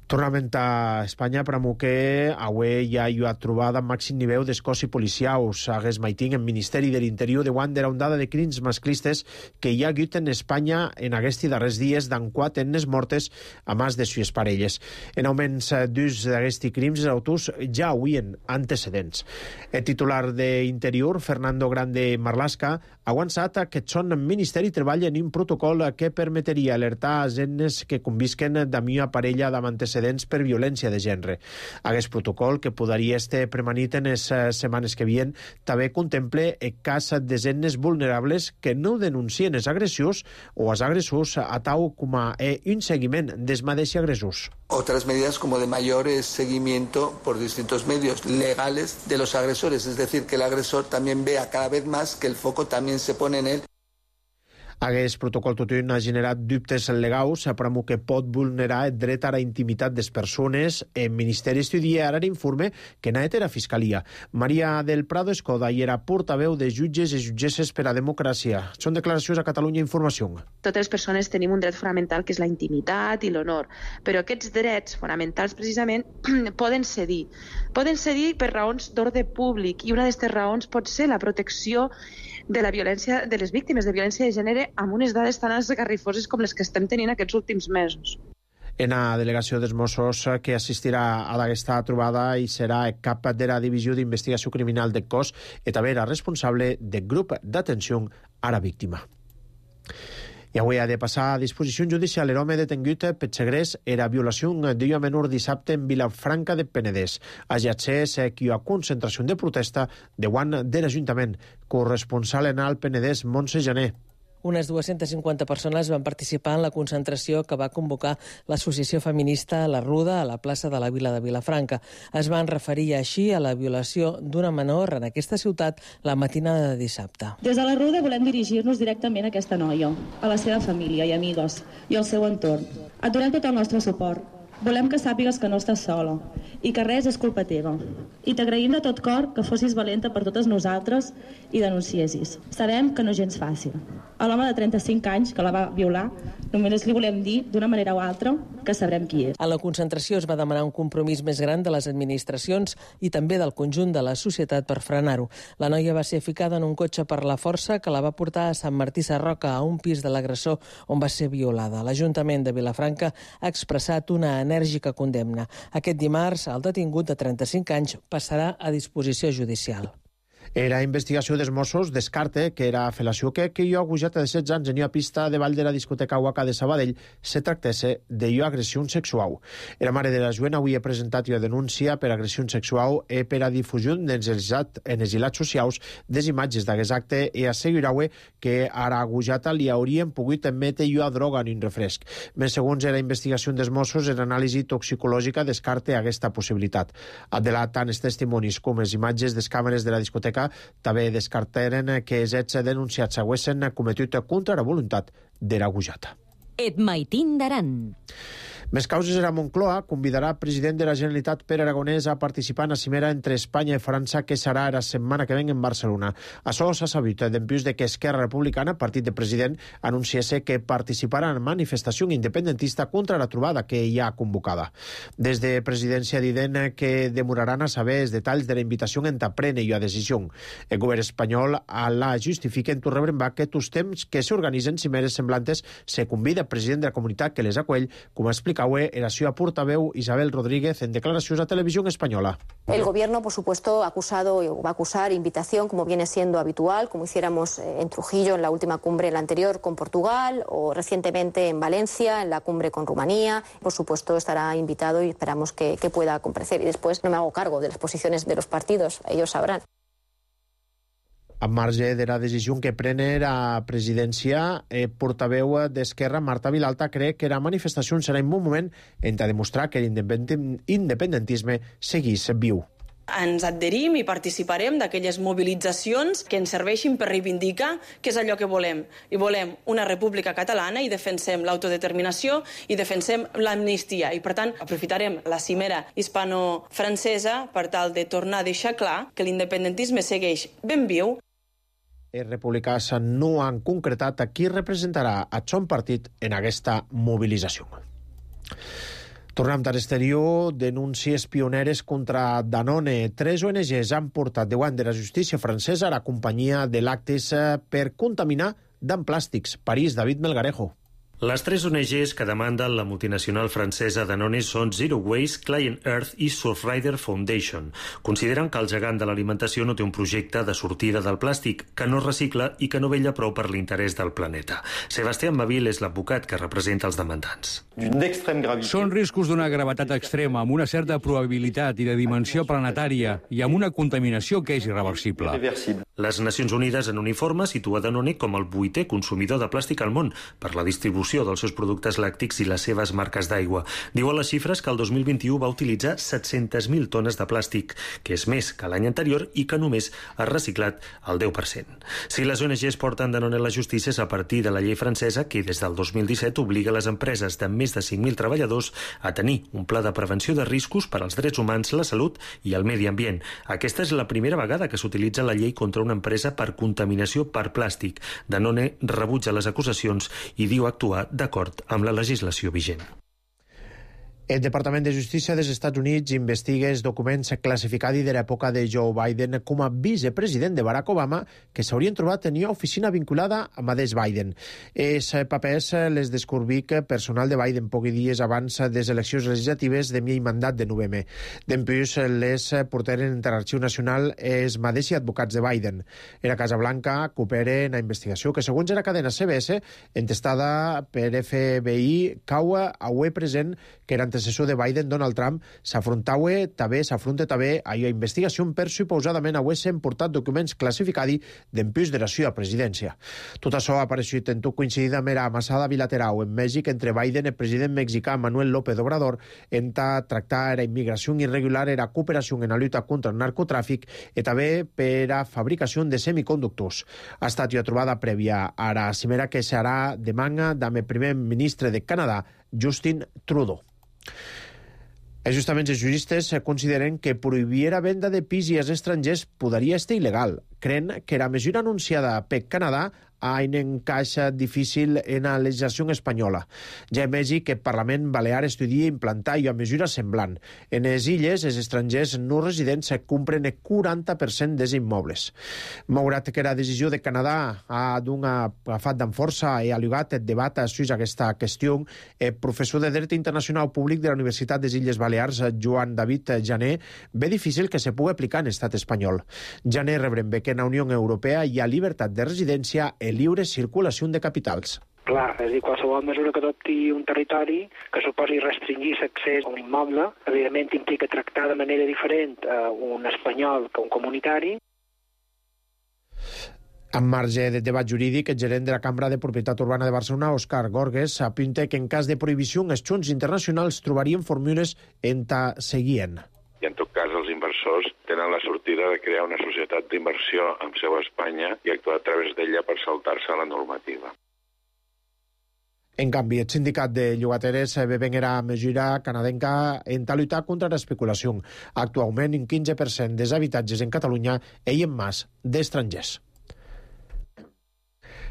Tornament a Espanya, però que avui hi ha trobada màxim nivell d'escossi policiaus. Hagués maiting en Ministeri de l'Interior de una ondada de crims masclistes que hi ha hagut en Espanya en aquests darrers dies d'en 4 ennes mortes a més de sues parelles. En augments d'ús d'aquests crims, els autors ja havien antecedents. El titular d'Interior, Fernando Grande Marlaska, ha avançat que son Ministeri treballa en un protocol que permetria alertar a ennes que convisquen d'ami una parella amb antecedents per violència de gènere. Aquest protocol, que podria estar premanit en les setmanes que vien, també contemple el cas de ennes vulnerables que no denuncien els agressius o els agressors a tal com un seguiment dels mateixos agressors. Otras medidas como de mayor seguimiento por distintos medios legales de los agresores, es decir, que el agresor también vea cada vez más que el foco también se pone en él. Aquest protocol totun ha generat dubtes legals, però que pot vulnerar el dret a la intimitat de les persones. El Ministeri estudia ara l'informe que n'ha de la Fiscalia. Maria del Prado Escoda i era portaveu de jutges i jutgesses per a democràcia. Són declaracions a Catalunya Informació. Totes les persones tenim un dret fonamental que és la intimitat i l'honor, però aquests drets fonamentals precisament poden cedir. Poden cedir per raons d'ordre públic i una d'aquestes raons pot ser la protecció de la violència de les víctimes de violència de gènere amb unes dades tan esgarrifoses com les que estem tenint aquests últims mesos. En la delegació dels Mossos que assistirà a aquesta trobada i serà el cap de la Divisió d'Investigació Criminal del cos i també era responsable del grup d'atenció a la víctima. I avui ha de passar a disposició judicial l'home detengut per segrest era violació d'una menor dissabte en Vilafranca de Penedès. Ajatxés que hi ha concentració de protesta davant de l'Ajuntament. Corresponsal en el Penedès, Montse Janer. Unes 250 persones van participar en la concentració que va convocar l'associació feminista La Ruda a la plaça de la Vila de Vilafranca. Es van referir així a la violació d'una menor en aquesta ciutat la matinada de dissabte. Des de La Ruda volem dirigir-nos directament a aquesta noia, a la seva família i amigues i al seu entorn. Et donem tot el nostre suport. Volem que sàpigues que no estàs sola i que res és culpa teva. I t'agraïm de tot cor que fossis valenta per totes nosaltres i denunciessis. Sabem que no és gens fàcil. A l'home de 35 anys que la va violar només li volem dir, d'una manera o altra, que sabrem qui és. A la concentració es va demanar un compromís més gran de les administracions i també del conjunt de la societat per frenar-ho. La noia va ser ficada en un cotxe per la força que la va portar a Sant Martí Sarroca, a un pis de l'agressor on va ser violada. L'Ajuntament de Vilafranca ha expressat una enèrgica condemna. Aquest dimarts, el detingut de 35 anys passarà a disposició judicial. Era investigació dels Mossos descarta que era fel·lació que jo agujat de 16 anys en una pista de ball de la discoteca Waka de Sabadell se tractesse d'agressió sexual. La mare de la jovent avui ha presentat una denúncia per agressió sexual i per a difusió en els ilats socials des imatges d'aquest acte i assegurava que ara agujata li haurien pogut emetre una droga en un refresc. Més segons la investigació dels Mossos, l'anàlisi toxicològica descarta aquesta possibilitat. Adelat tant els testimonis com les imatges de les càmeres de la discoteca també descartaren que els hets denunciats haguessin cometut contra la voluntat de l'agujata. Et maitin d'Aran. Més causes era Moncloa convidarà el president de la Generalitat Pere Aragonès a participar en la cimera entre Espanya i França que serà la setmana que ven en Barcelona. Això s'ha sabut dempeus de que Esquerra Republicana, partit de president, anunciés que participarà en manifestació independentista contra la trobada que hi ha convocada. Des de presidència diden que demoraran a saber els detalls de la invitació en prendre la decisió. El govern espanyol la justifica en Torrebrenbach que tots temps que s'organitzen cimeres semblantes se convida el president de la comunitat que les acull, com explica era su portaveu Isabel Rodríguez en declaraciones a Televisión Española. El Gobierno, por supuesto, ha acusado o va a acusar invitación, como viene siendo habitual, como hiciéramos en Trujillo en la última cumbre, la anterior con Portugal, o recientemente en Valencia, en la cumbre con Rumanía. Por supuesto, estará invitado y esperamos que pueda comparecer. Y después no me hago cargo de las posiciones de los partidos, ellos sabrán. A marge de la decisió que pren la presidència, portaveu d'Esquerra, Marta Vilalta, cree que la manifestació serà un bon moment en demostrar que l'independentisme seguís viu. Ens adherim i participarem d'aquelles mobilitzacions que ens serveixin per reivindicar què és allò que volem. I volem una república catalana i defensem l'autodeterminació i defensem l'amnistia. I, per tant, aprofitarem la cimera hispano-francesa per tal de tornar a deixar clar que l'independentisme segueix ben viu. Els republicans no han concretat a qui representarà a son partit en aquesta mobilització. Tornem a l'exterior, denúncies pioneres contra Danone. 3 ONGs han portat davant de la justícia francesa la companyia de làcteos per contaminar amb plàstics. París, David Melgarejo. Les 3 ONGs que demanden la multinacional francesa Danone són Zero Waste, Client Earth i Surfrider Foundation. Consideren que el gegant de l'alimentació no té un projecte de sortida del plàstic, que no recicla i que no vetlla prou per l'interès del planeta. Sebastián Mavil és l'advocat que representa els demandants. Són riscos d'una gravetat extrema, amb una certa probabilitat i de dimensió planetària i amb una contaminació que és irreversible. Les Nacions Unides en un informe situa Danone com el 8è consumidor de plàstic al món per la distribució dels seus productes làctics i les seves marques d'aigua. Diuen les xifres que el 2021 va utilitzar 700.000 tones de plàstic, que és més que l'any anterior i que només ha reciclat el 10%. Si les ONGs porten Danone a la justícia és a partir de la llei francesa que des del 2017 obliga les empreses de més de 5.000 treballadors a tenir un pla de prevenció de riscos per als drets humans, la salut i el medi ambient. Aquesta és la primera vegada que s'utilitza la llei contra una empresa per contaminació per plàstic. Danone rebutja les acusacions i diu actuar d'acord amb la legislació vigent. El Departament de Justícia dels Estats Units investiga els documents classificats de l'època de Joe Biden com a vicepresident de Barack Obama que s'haurien trobat en una oficina vinculada a mateix Biden. Els papers les descobric personal de Biden pocs dies abans de les eleccions legislatives de mi mandat de novembre. Dempuix les portaren en l'Arxiu Nacional els mateixos advocats de Biden. En la Casa Blanca cooperen en la investigació que, segons la cadena CBS, entestada per FBI, cau a web present que era antecessor de Biden, Donald Trump, s'afronta també a la investigació per suposadament haver-se portat documents classificats dempuix de la seva presidència. Tot això ha aparegut en tot coincidit amb la amassada bilateral en Mèxic entre Biden i el president mexicà Manuel López Obrador en tractar la immigració irregular i la cooperació en la lluita contra el narcotràfic i també per a fabricació de semiconductors. Ha estat una trobada prèvia a la cimera que serà demà amb el primer ministre de Canadà, Justin Trudeau. Justament els juristes consideren que prohibir la venda de pis als estrangers podria estar il·legal. Creen que la mesura anunciada per Canadà ha un encaix difícil en la legislació espanyola. Ja a Mèxic, el Parlament Balear estudia implantar una mesura semblant. En les illes, els estrangers no residents compren el 40% dels immobles. Malgrat que la decisió de Canadà ha agafat amb força i ha alligat el debat sobre aquesta qüestió, el professor de Dret Internacional Públic de la Universitat des Illes Balears, Joan David Jané, ve difícil que se pugui aplicar en l'estat espanyol. Jané rebrem que en la Unió Europea hi ha llibertat de residència i lliure circulació de capitals. Clar, és a dir, qualsevol mesura que adopti un territori que suposi restringir l'accés a un immoble, evidentment implica tractar de manera diferent un espanyol que un comunitari. En marge de debat jurídic, el gerent de la Cambra de Propietat Urbana de Barcelona, Òscar Gorges, apunta que en cas de prohibició els xons internacionals trobarien fórmules en ta seguien. I en tot cas els inversors tenen la sortida de crear una societat d'inversió amb seu a Espanya i actuar a través d'ella per saltar-se la normativa. En canvi, el sindicat de llogateres veuen la mesura canadenca en lluitar contra l'especulació. Actualment, un 15% dels habitatges en Catalunya eien mas d'estrangers.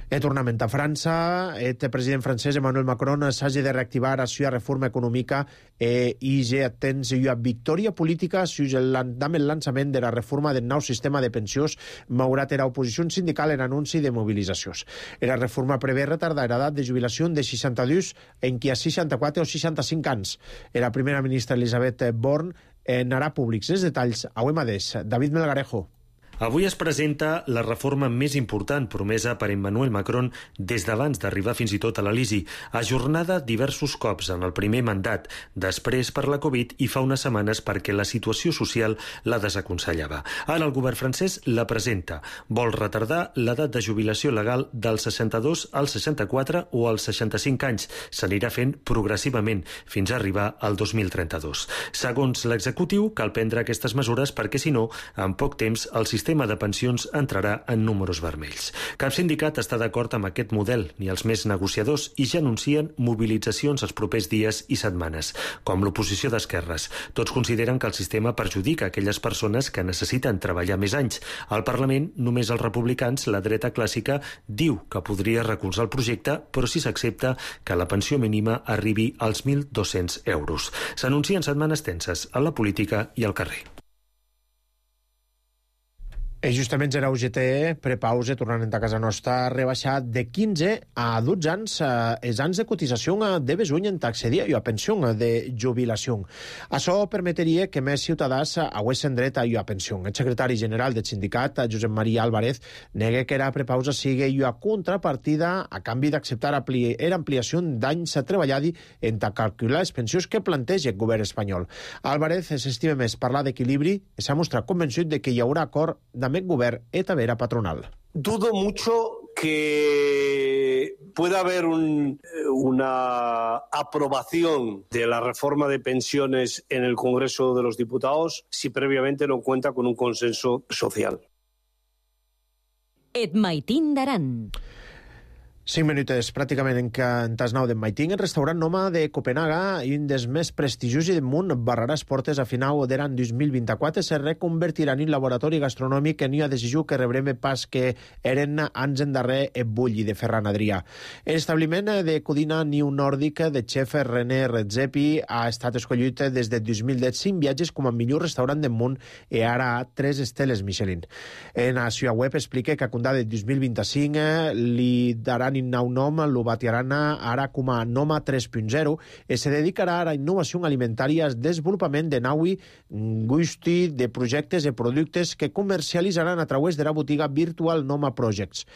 En tornament a França, el president francès Emmanuel Macron s'hagi de reactivar la seva reforma econòmica i ja tens una victòria política amb el lançament de la reforma del nou sistema de pensions, malgrat l'oposició sindical en anunci de mobilitzacions. La reforma prevé retardar l'edat de jubilació de 62 en qui a 64 o 65 anys. La primera ministra Elisabeth Borne n'harà públics els detalls avui mateix. David Melgarejo. Avui es presenta la reforma més important promesa per Emmanuel Macron des d'abans d'arribar fins i tot a l'Elisi, ajornada diversos cops en el primer mandat, després per la Covid i fa unes setmanes perquè la situació social la desaconsellava. Ara el govern francès la presenta. Vol retardar l'edat de jubilació legal dels 62 als 64 o als 65 anys. S'anirà fent progressivament fins a arribar al 2032. Segons l'executiu, cal prendre aquestes mesures perquè, si no, en poc temps el sistema sistema de pensions entrarà en números vermells. Cap sindicat està d'acord amb aquest model, ni els més negociadors, i ja anuncien mobilitzacions els propers dies i setmanes, com l'oposició d'esquerres. Tots consideren que el sistema perjudica aquelles persones que necessiten treballar més anys. Al Parlament, només els republicans, la dreta clàssica, diu que podria recolzar el projecte, però si s'accepta que la pensió mínima arribi als 1.200 euros. S'anuncien setmanes tenses a la política i al carrer. Justament era UGT, prepausa, tornant a casa nostra, ha rebaixat de 15 a 12 anys els anys de cotització de besuny en accedir a pensió de jubilació. Això permetria que més ciutadans haguessin dret a pensió. El secretari general del sindicat, Josep Maria Álvarez, nega que la prepausa sigui una contrapartida a canvi d'acceptar l'ampliació d'anys treballats en calcular les pensions que planteja el govern espanyol. Álvarez s'estima més parlar d'equilibri i s'ha mostrat convençut de que hi haurà acord amb el govern i també la patronal. Dudo mucho que pueda haber una aprobación de la reforma de pensiones en el Congreso de los Diputados si previamente no cuenta con un consenso social. Et maitin d'Aran. 5 minuts pràcticament en tas 9 d'en Maiting. El restaurant Noma de Copenhaga, un dels més prestigiosos del món, barrarà les portes a final d'any 2024. Se reconvertirà en un laboratori gastronòmic en una decisió que rebrem pas que eren anys endarrer el Bulli de Ferran Adrià. L'establiment de cuina neonòrdica de xef René Redzepi ha estat escollit des de 2010 5 viatges com a millor restaurant del món i ara ha 3 esteles Michelin. En la seva web explica que a comptar de 2025 li daran un nou nom, lo batiaran ara com a Noma 3.0 i se dedicarà a la innovació alimentària, al desenvolupament de naui gusti de projectes i productes que comercialitzaran a través de la botiga Virtual Noma Projects.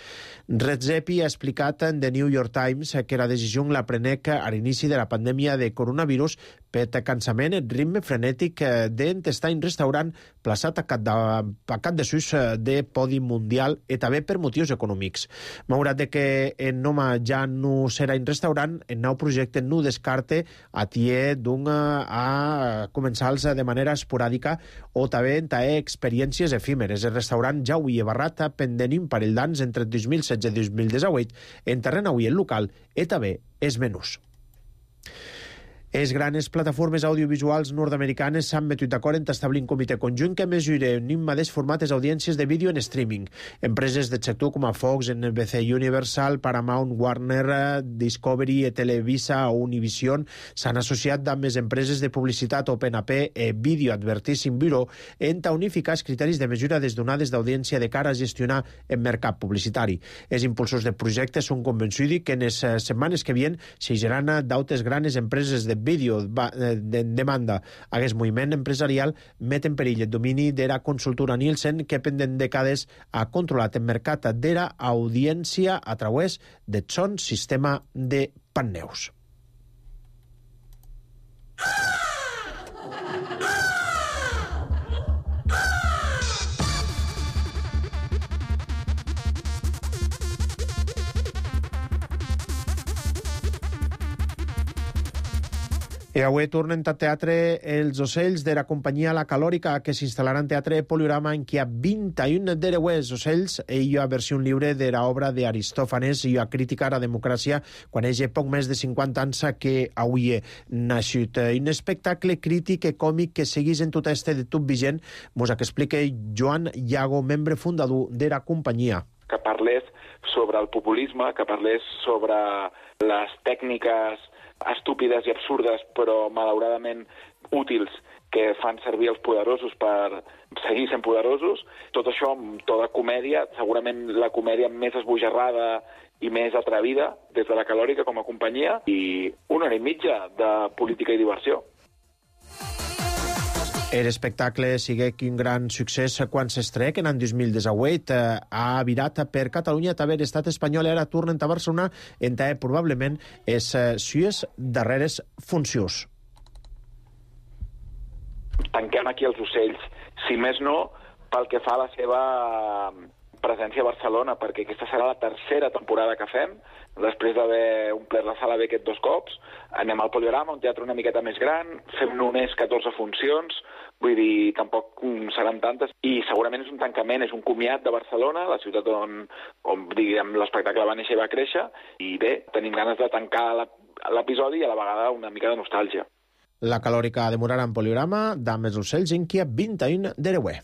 Redzepi ha explicat en The New York Times que la decisió la prenec a l'inici de la pandèmia de coronavirus per cansament el ritme frenètic d'entestar un restaurant plaçat a cap de sus de podi mundial i també per motius econòmics. Malgrat que en Noma ja no serà un restaurant, el nou projecte no descarte a començar-los de manera esporàdica o també en experiències efímeres. El restaurant ja ho hi ha barrat pendent un parell d'anys entre 2016 i 2018 en terreny avui el local i també els menús. Les grans plataformes audiovisuals nord-americanes s'han metut d'acord en establir un comitè conjunt que mesura en un mateix format les audiències de vídeo en streaming. Empreses del sector com a Fox, NBC Universal, Paramount, Warner, Discovery, Televisa o Univision s'han associat amb les empreses de publicitat OpenAP i Video Advertising Bureau en unificar els criteris de mesura des donades d'audiència de cara a gestionar el mercat publicitari. Els impulsors del projecte són convençuts que en les setmanes que vienen s'higeran d'altres grans empreses de vídeo de demanda a aquest moviment empresarial met en perill el domini de la consultora Nielsen que pendent dècades ha controlat el mercat de la audiència a través del son sistema de panneus. I avui tornen a teatre els ocells de la companyia La Calòrica, que s'instal·larà en teatre Poliorama en què hi ha 21 d'hereuers ocells i hi ha versió lliure de l'obra d'Aristòfanes i hi ha crítica a la democràcia quan hi ha poc més de 50 anys que avui he nascut. Un espectacle crític i còmic que seguís en tot este de tot vigent, mos que explica Joan Iago, membre fundador de la companyia. Que parlés sobre el populisme, que parlés sobre les tècniques estúpides i absurdes, però malauradament útils, que fan servir els poderosos per seguir sent poderosos. Tot això amb tota comèdia, segurament la comèdia més esbojarrada i més atrevida des de La Calòrica com a companyia, i 1 hora i mitja de política i diversió. L'espectacle sigue un gran succés quan s'estrec en l'any 2018. Ha virat per Catalunya, també l'estat espanyol, i ara tornen a Barcelona, en què probablement les sues darreres funcions. Tanquem aquí els ocells, si més no, pel que fa a la seva presència a Barcelona, perquè aquesta serà la tercera temporada que fem, després d'haver omplert la sala B aquests 2 cops. Anem al Poliorama, un teatre una miqueta més gran, fem només 14 funcions, vull dir, tampoc seran tantes, i segurament és un tancament, és un comiat de Barcelona, la ciutat on diguem, l'espectacle va néixer i va créixer, i bé, tenim ganes de tancar l'episodi i a la vegada una mica de nostàlgia. La calòrica demorarà en Poliorama, Dames els ocells, en Kia 21 d'Ereuer.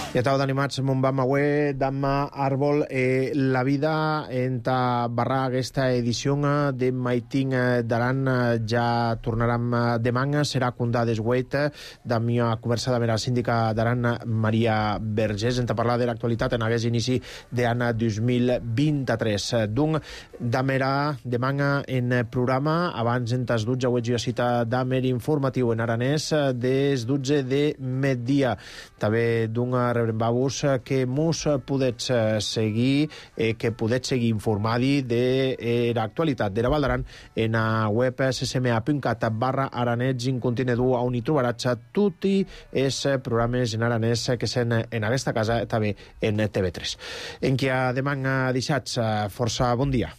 I estava d'animats mon vam avui, Damma Arbol, la vida en ta barra aquesta edició de Maiting d'Aran ja tornarem demà, serà condà desguet de mia conversa de la síndica d'Aran, Maria Vergés, en ta parlar de l'actualitat en aquest inici d'any 2023. Donc, damera demà en programa, abans en tas 12 avui jo cita damer informatiu en aranès des 12 de migdia. També d'un rebrem-vos que mos podets seguir, que podets seguir informadi de l'actualitat de la Val d'Aran en la web ccma.cat/aranets in continu, on hi trobaràs tots els programes en aranès que són en aquesta casa, també en TV3. En qui demà deixats, força bon dia.